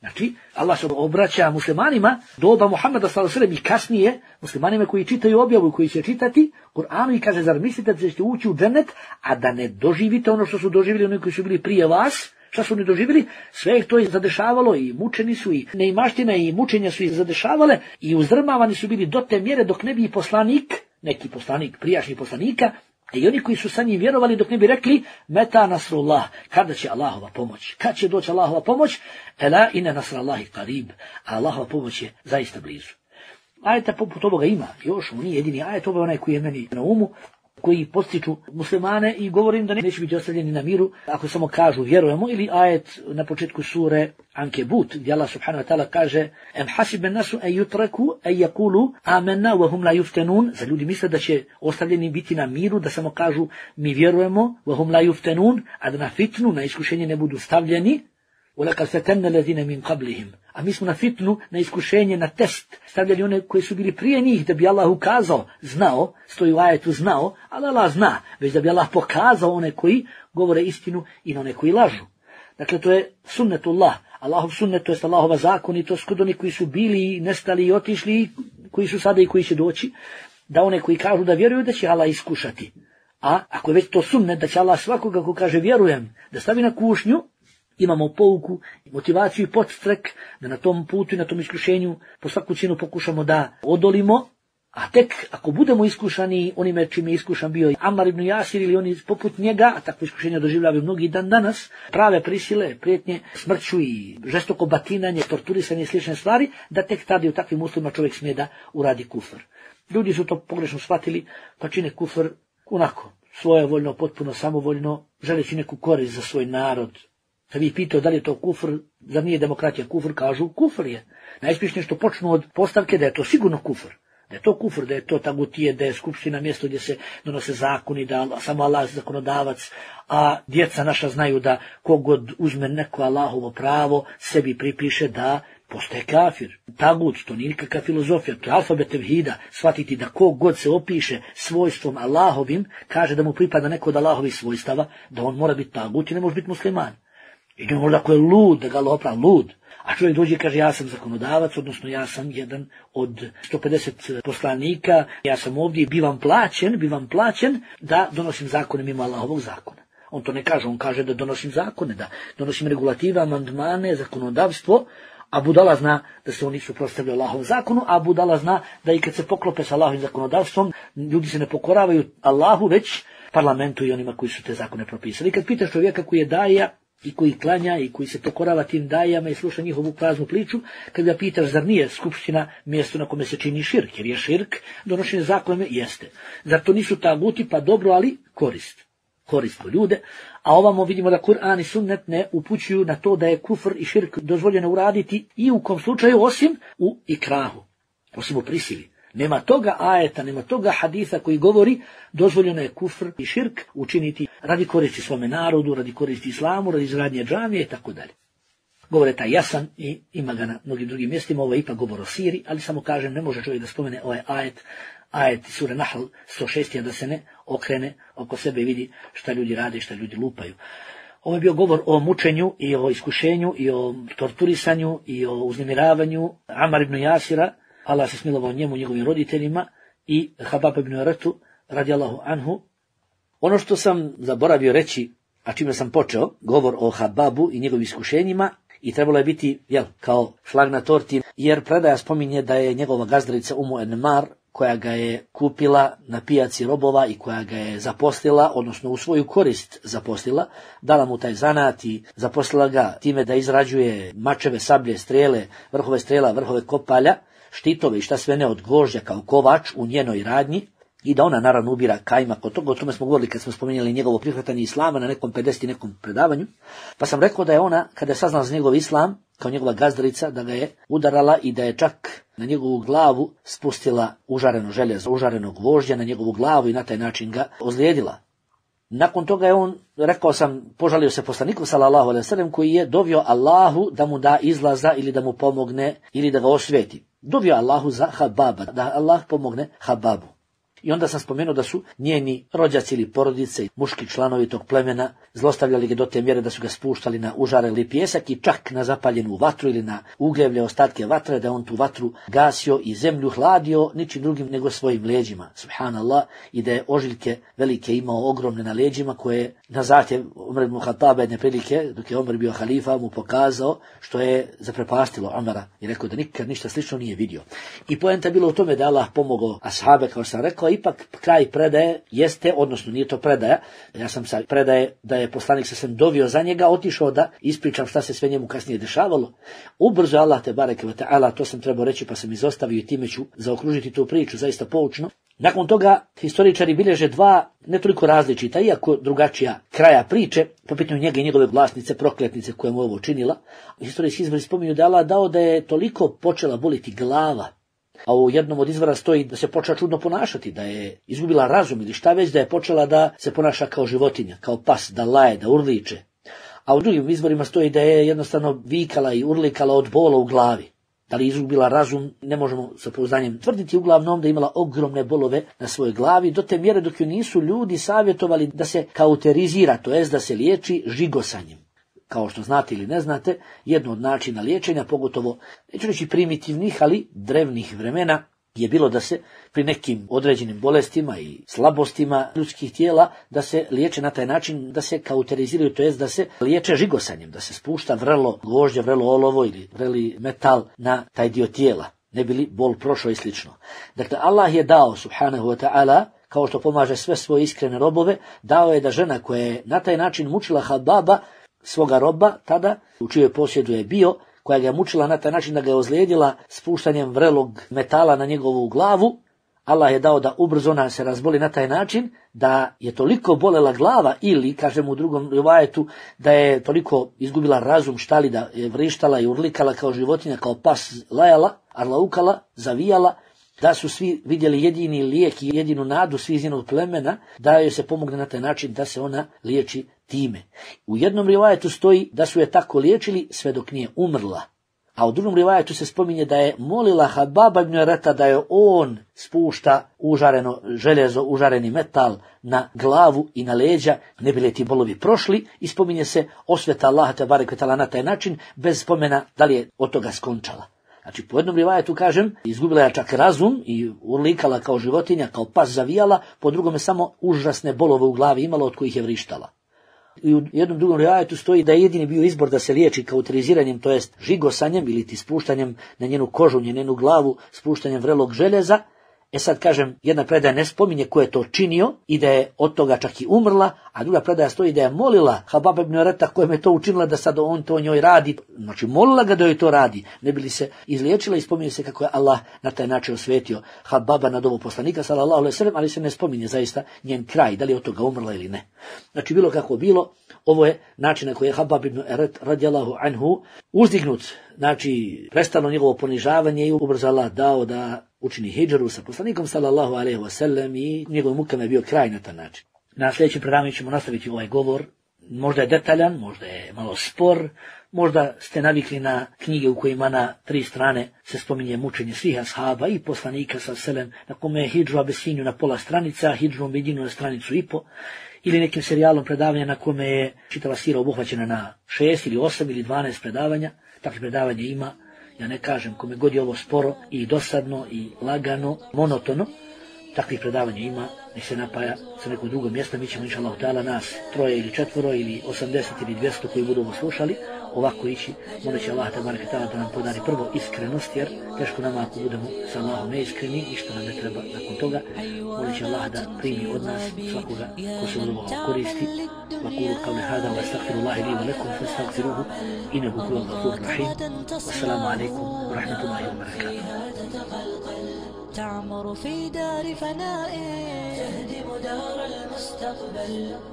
znači, Allah se obraća muslimanima, doba Muhammeda sallallahu alejhi ve sellem i kasnije, muslimanima koji čitaju objavu i koji će čitati Kur'anu i kaže, zar mislite da ćete ući u džennet, a da ne doživite ono što su doživjeli oni koji su bili prije vas? Šta su oni doživjeli? Sve ih to je zadešavalo i mučeni su i neimaština i mučenja su ih zadešavale i uzdrmavani su bili do te mjere dok ne bi poslanik, neki poslanik, prijašnji poslanika, i oni koji su sa njim vjerovali dok ne bi rekli meta nasrullah, kada će Allahova pomoć, kad će doći Allahova pomoć, ela inna nasrallahi qarib, a Allahova pomoć je zaista blizu. Ajeta poput ovoga ima, još on nije jedini ajet, ovo je onaj koji je meni na umu, koji postiču muslimane i govorim da neće biti ostavljeni na miru ako samo kažu vjerujemo, ili ajet na početku sure Ankebut gdje Allah subhanahu wa ta'ala kaže em hasiben nasu en yutraku en yaqulu amanna wa hum la yuftanun. Za ljudi misle da će ostavljeni biti na miru, da samo kažu mi vjerujemo, wa hum la yuftanun, a da na fitnu, na iskušenje ne budu stavljeni. وَلَقَدْ فَتَنَّ الَّذِينَ مِنْ قَبْلِهِمْ. A mi smo na fitnu, na iskušenje, na test stavljali one koji su bili prije njih, da bi Allah ukazao, znao, stoji u ajetu znao, ali Allah zna, već da bi Allah pokazao one koji govore istinu i na one koji lažu. Dakle, to je sunnetullah, Allahov sunnet, to je Allahova zakonitost kod oni koji su bili, nestali i otišli, koji su sada i koji će doći, da one koji kažu da vjeruju da će Allah iskušati. A ako je već to sunnet, da će Allah svakoga ko kaže vjerujem, da stavi na kušnju, imamo pouku, motivaciju i podstrek da na tom putu i na tom iskušenju po svaku cijenu pokušamo da odolimo, a tek ako budemo iskušani onime čime je iskušan bio Amar ibn Jasir ili oni poput njega, a takvo iskušenje doživljavaju mnogi dan danas, prave prisile, prijetnje, smrću i žestoko batinanje, torturisanje i slične stvari, da tek tada u takvim uslovima čovjek smije da uradi kufr. Ljudi su to pogrešno shvatili, pa čine kufr onako, svojevoljno, potpuno samovoljno, želeći neku korist za svoj narod. Kad bi pitao da li je to kufr, da nije demokratija kufr, kažu kufr je. Najspješnije što počnu od postavke da je to sigurno kufr. Da je to kufr, da je to tagutije, da je skupština mjesto gdje se donose zakoni, da samo Allah je zakonodavac, a djeca naša znaju da kogod uzme neko Allahovo pravo, sebi pripiše da postaje kafir. Tagut, to nije nikakva filozofija, to je alfabet tevhida, shvatiti da kogod se opiše svojstvom Allahovim, kaže da mu pripada neko od Allahovih svojstava, da on mora biti tagut i ne može biti musliman. I ne možda ako je lud, da ga Allah opravi lud. A čovjek dođe i kaže ja sam zakonodavac, odnosno ja sam jedan od sto pedeset poslanika, ja sam ovdje i bivam plaćen, bivam plaćen da donosim zakone mimo Allahovog zakona. On to ne kaže, on kaže da donosim zakone, da donosim regulative, amandmane, zakonodavstvo, a budala zna da se oni suprotstavljaju Allahovom zakonu, a budala zna da i kad se poklope sa Allahovim zakonodavstvom, ljudi se ne pokoravaju Allahu, već parlamentu i onima koji su te zakone propisali. I kad pitaš čovjeka koji je daja, i koji klanja i koji se pokorava tim dajama i sluša njihovu praznu priču, kad ga pitaš zar nije skupština mjesto na kome se čini širk, jer je širk donošenje zakona, jeste. Zar to nisu taguti, pa dobro, ali korist. Korist po ljude, a ovamo vidimo da Kur'an i sunnet ne upućuju na to da je kufr i širk dozvoljeno uraditi i u kom slučaju osim u ikrahu, osim u prisili. Nema toga ajeta, nema toga haditha koji govori dozvoljeno je kufr i širk učiniti radi koristi svome narodu, radi koristi islamu, radi izgradnje džamije i tako dalje. Govor je taj jasan i ima ga na mnogim drugim mjestima, ovo je ipak govor o siri, ali samo kažem, ne može čovjek da spomene ovaj ajet, ajet sure Nahl sto šest, da se ne okrene oko sebe i vidi šta ljudi rade i šta ljudi lupaju. Ovo je bio govor o mučenju i o iskušenju i o torturisanju i o uznemiravanju Amar ibn Jasira, Allah se smilovao njemu, njegovim roditeljima, i Habab ibn Aratu, radijallahu anhu. Ono što sam zaboravio reći, a čime sam počeo, govor o Hababu i njegovim iskušenjima, i trebalo je biti, jel, kao šlag na torti, jer predaja spominje da je njegova gazdarica Umu Enmar, koja ga je kupila na pijaci robova i koja ga je zaposlila, odnosno u svoju korist zaposlila, dala mu taj zanat i zaposlila ga time da izrađuje mačeve, sablje, strele, vrhove strela, vrhove kopalja, štitove i šta sve ne od gvožđa kao kovač u njenoj radnji, i da ona naravno ubira kajmak od toga. O tome smo govorili kad smo spominjali njegovo prihvatanje islama na nekom pedeset nekom predavanju. Pa sam rekao da je ona, kada je saznala za njegov islam, kao njegova gazdarica, da ga je udarala i da je čak na njegovu glavu spustila užareno željezo, užareno gvožđa na njegovu glavu i na taj način ga ozlijedila. Nakon toga je on, rekao sam, požalio se poslaniku sallallahu alejhi ve sellem, koji je dovio Allahu da mu da izlaza ili da mu pomogne ili da ga osveti. Dovio Allahu za Hababa, da Allah pomogne Hababu. I onda sam spomenuo da su njeni rođaci ili porodice, muški članovi tog plemena, zlostavljali ga do te mjere da su ga spuštali na užareli pijesak i čak na zapaljenu vatru ili na ugljevlje ostatke vatre, da on tu vatru gasio i zemlju hladio ničim drugim nego svojim leđima, subhanallah, i da je ožiljke velike imao ogromne na leđima, koje na zahtjev Omer ibn Khattaba jedne prilike, dok je Omer bio halifa, mu pokazao, što je zaprepastilo Omera i rekao da nikad ništa slično nije vidio. I poenta bilo u tome da Allah pomogao ashabe, kao sam rekao. Ipak kraj predaje jeste, odnosno nije to predaja, ja sam sa predaje da je poslanik sa svem dovio za njega, otišao da ispričam šta se sve njemu kasnije dešavalo. Ubrzo Allah te bareke ve taala, to sam trebao reći pa sam izostavio i time ću zaokružiti tu priču, zaista poučno. Nakon toga historičari bilježe dva, ne toliko različita, iako drugačija kraja priče, po pitanju njega i njegove vlasnice, prokletnice koja mu ovo činila. Historijski izvori spominju da Allah dao da je toliko počela boliti glava, a u jednom od izvora stoji da se počela čudno ponašati, da je izgubila razum ili šta već, da je počela da se ponaša kao životinja, kao pas, da laje, da urliče. a u drugim izvorima stoji da je jednostavno vikala i urlikala od bola u glavi. Da li izgubila razum, ne možemo sa pouzdanjem tvrditi, uglavnom da je imala ogromne bolove na svojoj glavi, do te mjere dok ju nisu ljudi savjetovali da se kauterizira, to jest da se liječi žigosanjem. Kao što znate ili ne znate, jedno od načina liječenja, pogotovo, neću reći primitivnih, ali drevnih vremena, je bilo da se pri nekim određenim bolestima i slabostima ljudskih tijela, da se liječe na taj način, da se kauteriziraju, to jest da se liječe žigosanjem, da se spušta vrelo gvožđe, vrelo olovo ili vreli metal na taj dio tijela, ne bi li bol prošao i slično. Dakle, Allah je dao, subhanahu wa ta'ala, kao što pomaže sve svoje iskrene robove, dao je da žena koja je na taj način mučila Hababa, svoga roba, tada, u čijoj posjedu je bio, koja ga je mučila na taj način da ga je ozlijedila spuštanjem vrelog metala na njegovu glavu, Allah je dao da ubrzo ona se razboli na taj način da je toliko bolela glava ili, kažemo u drugom rivajetu, da je toliko izgubila razum, štali, da je vrištala i urlikala kao životinja, kao pas lajala, arlaukala, zavijala, da su svi vidjeli jedini lijek i jedinu nadu svi iz njenog plemena, da joj se pomogne na taj način da se ona liječi time. U jednom rivajetu stoji da su je tako liječili sve dok nije umrla. A u drugom rivajetu se spominje da je molila Hababa ibn Ereta da je on spušta užareno željezo, užareni metal na glavu i na leđa, ne bi li ti bolovi prošli, i spominje se osveta Allaha tebareke ve taala na taj način, bez spomena da li je od toga skončala. Znači, po jednom rivajetu, kažem, izgubila je čak razum i urlikala kao životinja, kao pas zavijala, po drugome samo užasne bolove u glavi imala od kojih je vrištala. I u jednom drugom rivajetu stoji da je jedini bio izbor da se liječi kauteriziranjem, to jest žigosanjem ili ti spuštanjem na njenu kožu, na njenu glavu, spuštanjem vrelog željeza. E sad, kažem, jedna predaja ne spominje ko je to činio i da je od toga čak i umrla, a druga predaja stoji da je molila Hababa ibn Ereta kojem je to učinila da sad on to njoj radi. Znači, molila ga da joj to radi, ne bi li se izliječila, i spominje se kako je Allah na taj način osvetio Hababa nad ovo poslanika, sallallahu alejhi ve sellem, ali se ne spominje zaista njen kraj, da li je od toga umrla ili ne. Znači, bilo kako bilo, ovo je način na koji je Habab ibn Eret radijallahu anhu uzdignut, znači prestalo njegovo ponižavanje i ubrzo Allah dao da učini hidžru sa poslanikom sallallahu alejhi ve sellem i njegovim mukama je bio kraj na taj način. Na sljedećem predavanju ćemo nastaviti ovaj govor, možda je detaljan, možda je malo spor, možda ste navikli na knjige u kojima na tri strane se spominje mučenje svih ashaba i poslanika sallallahu alejhi ve sellem, na kome je hidžu Abesinju na pola stranica, hidžu Medinu na stranicu i po, ili nekim serijalom predavanja na kome je čitava sira obuhvaćena na šest ili osam ili dvanaest predavanja. Takve predavanje ima, ja ne kažem, kome god je ovo sporo i dosadno i lagano, monotono, takvih predavanja ima, nek se napaja sa nekog drugog mjesta, mi ćemo inšallahu ta'ala nas troje ili četvoro ili osamdeset ili dvjesto koji budu ovo slušali, ovako ići, moleći Allah tebareke ve taala da nam podari prvo iskrenost, jer teško nama ako budemo sa Allahom neiskreni, ništa nam ne treba nakon toga. Moleći Allah da primi od nas svakoga ko se od ovoga koristi. وقولوا قولي هذا واستغفر الله لي ولكم فاستغفروه انه هو الغفور الرحيم. والسلام عليكم ورحمه الله وبركاته. تعمر في دار فناء تهدم دار المستقبل.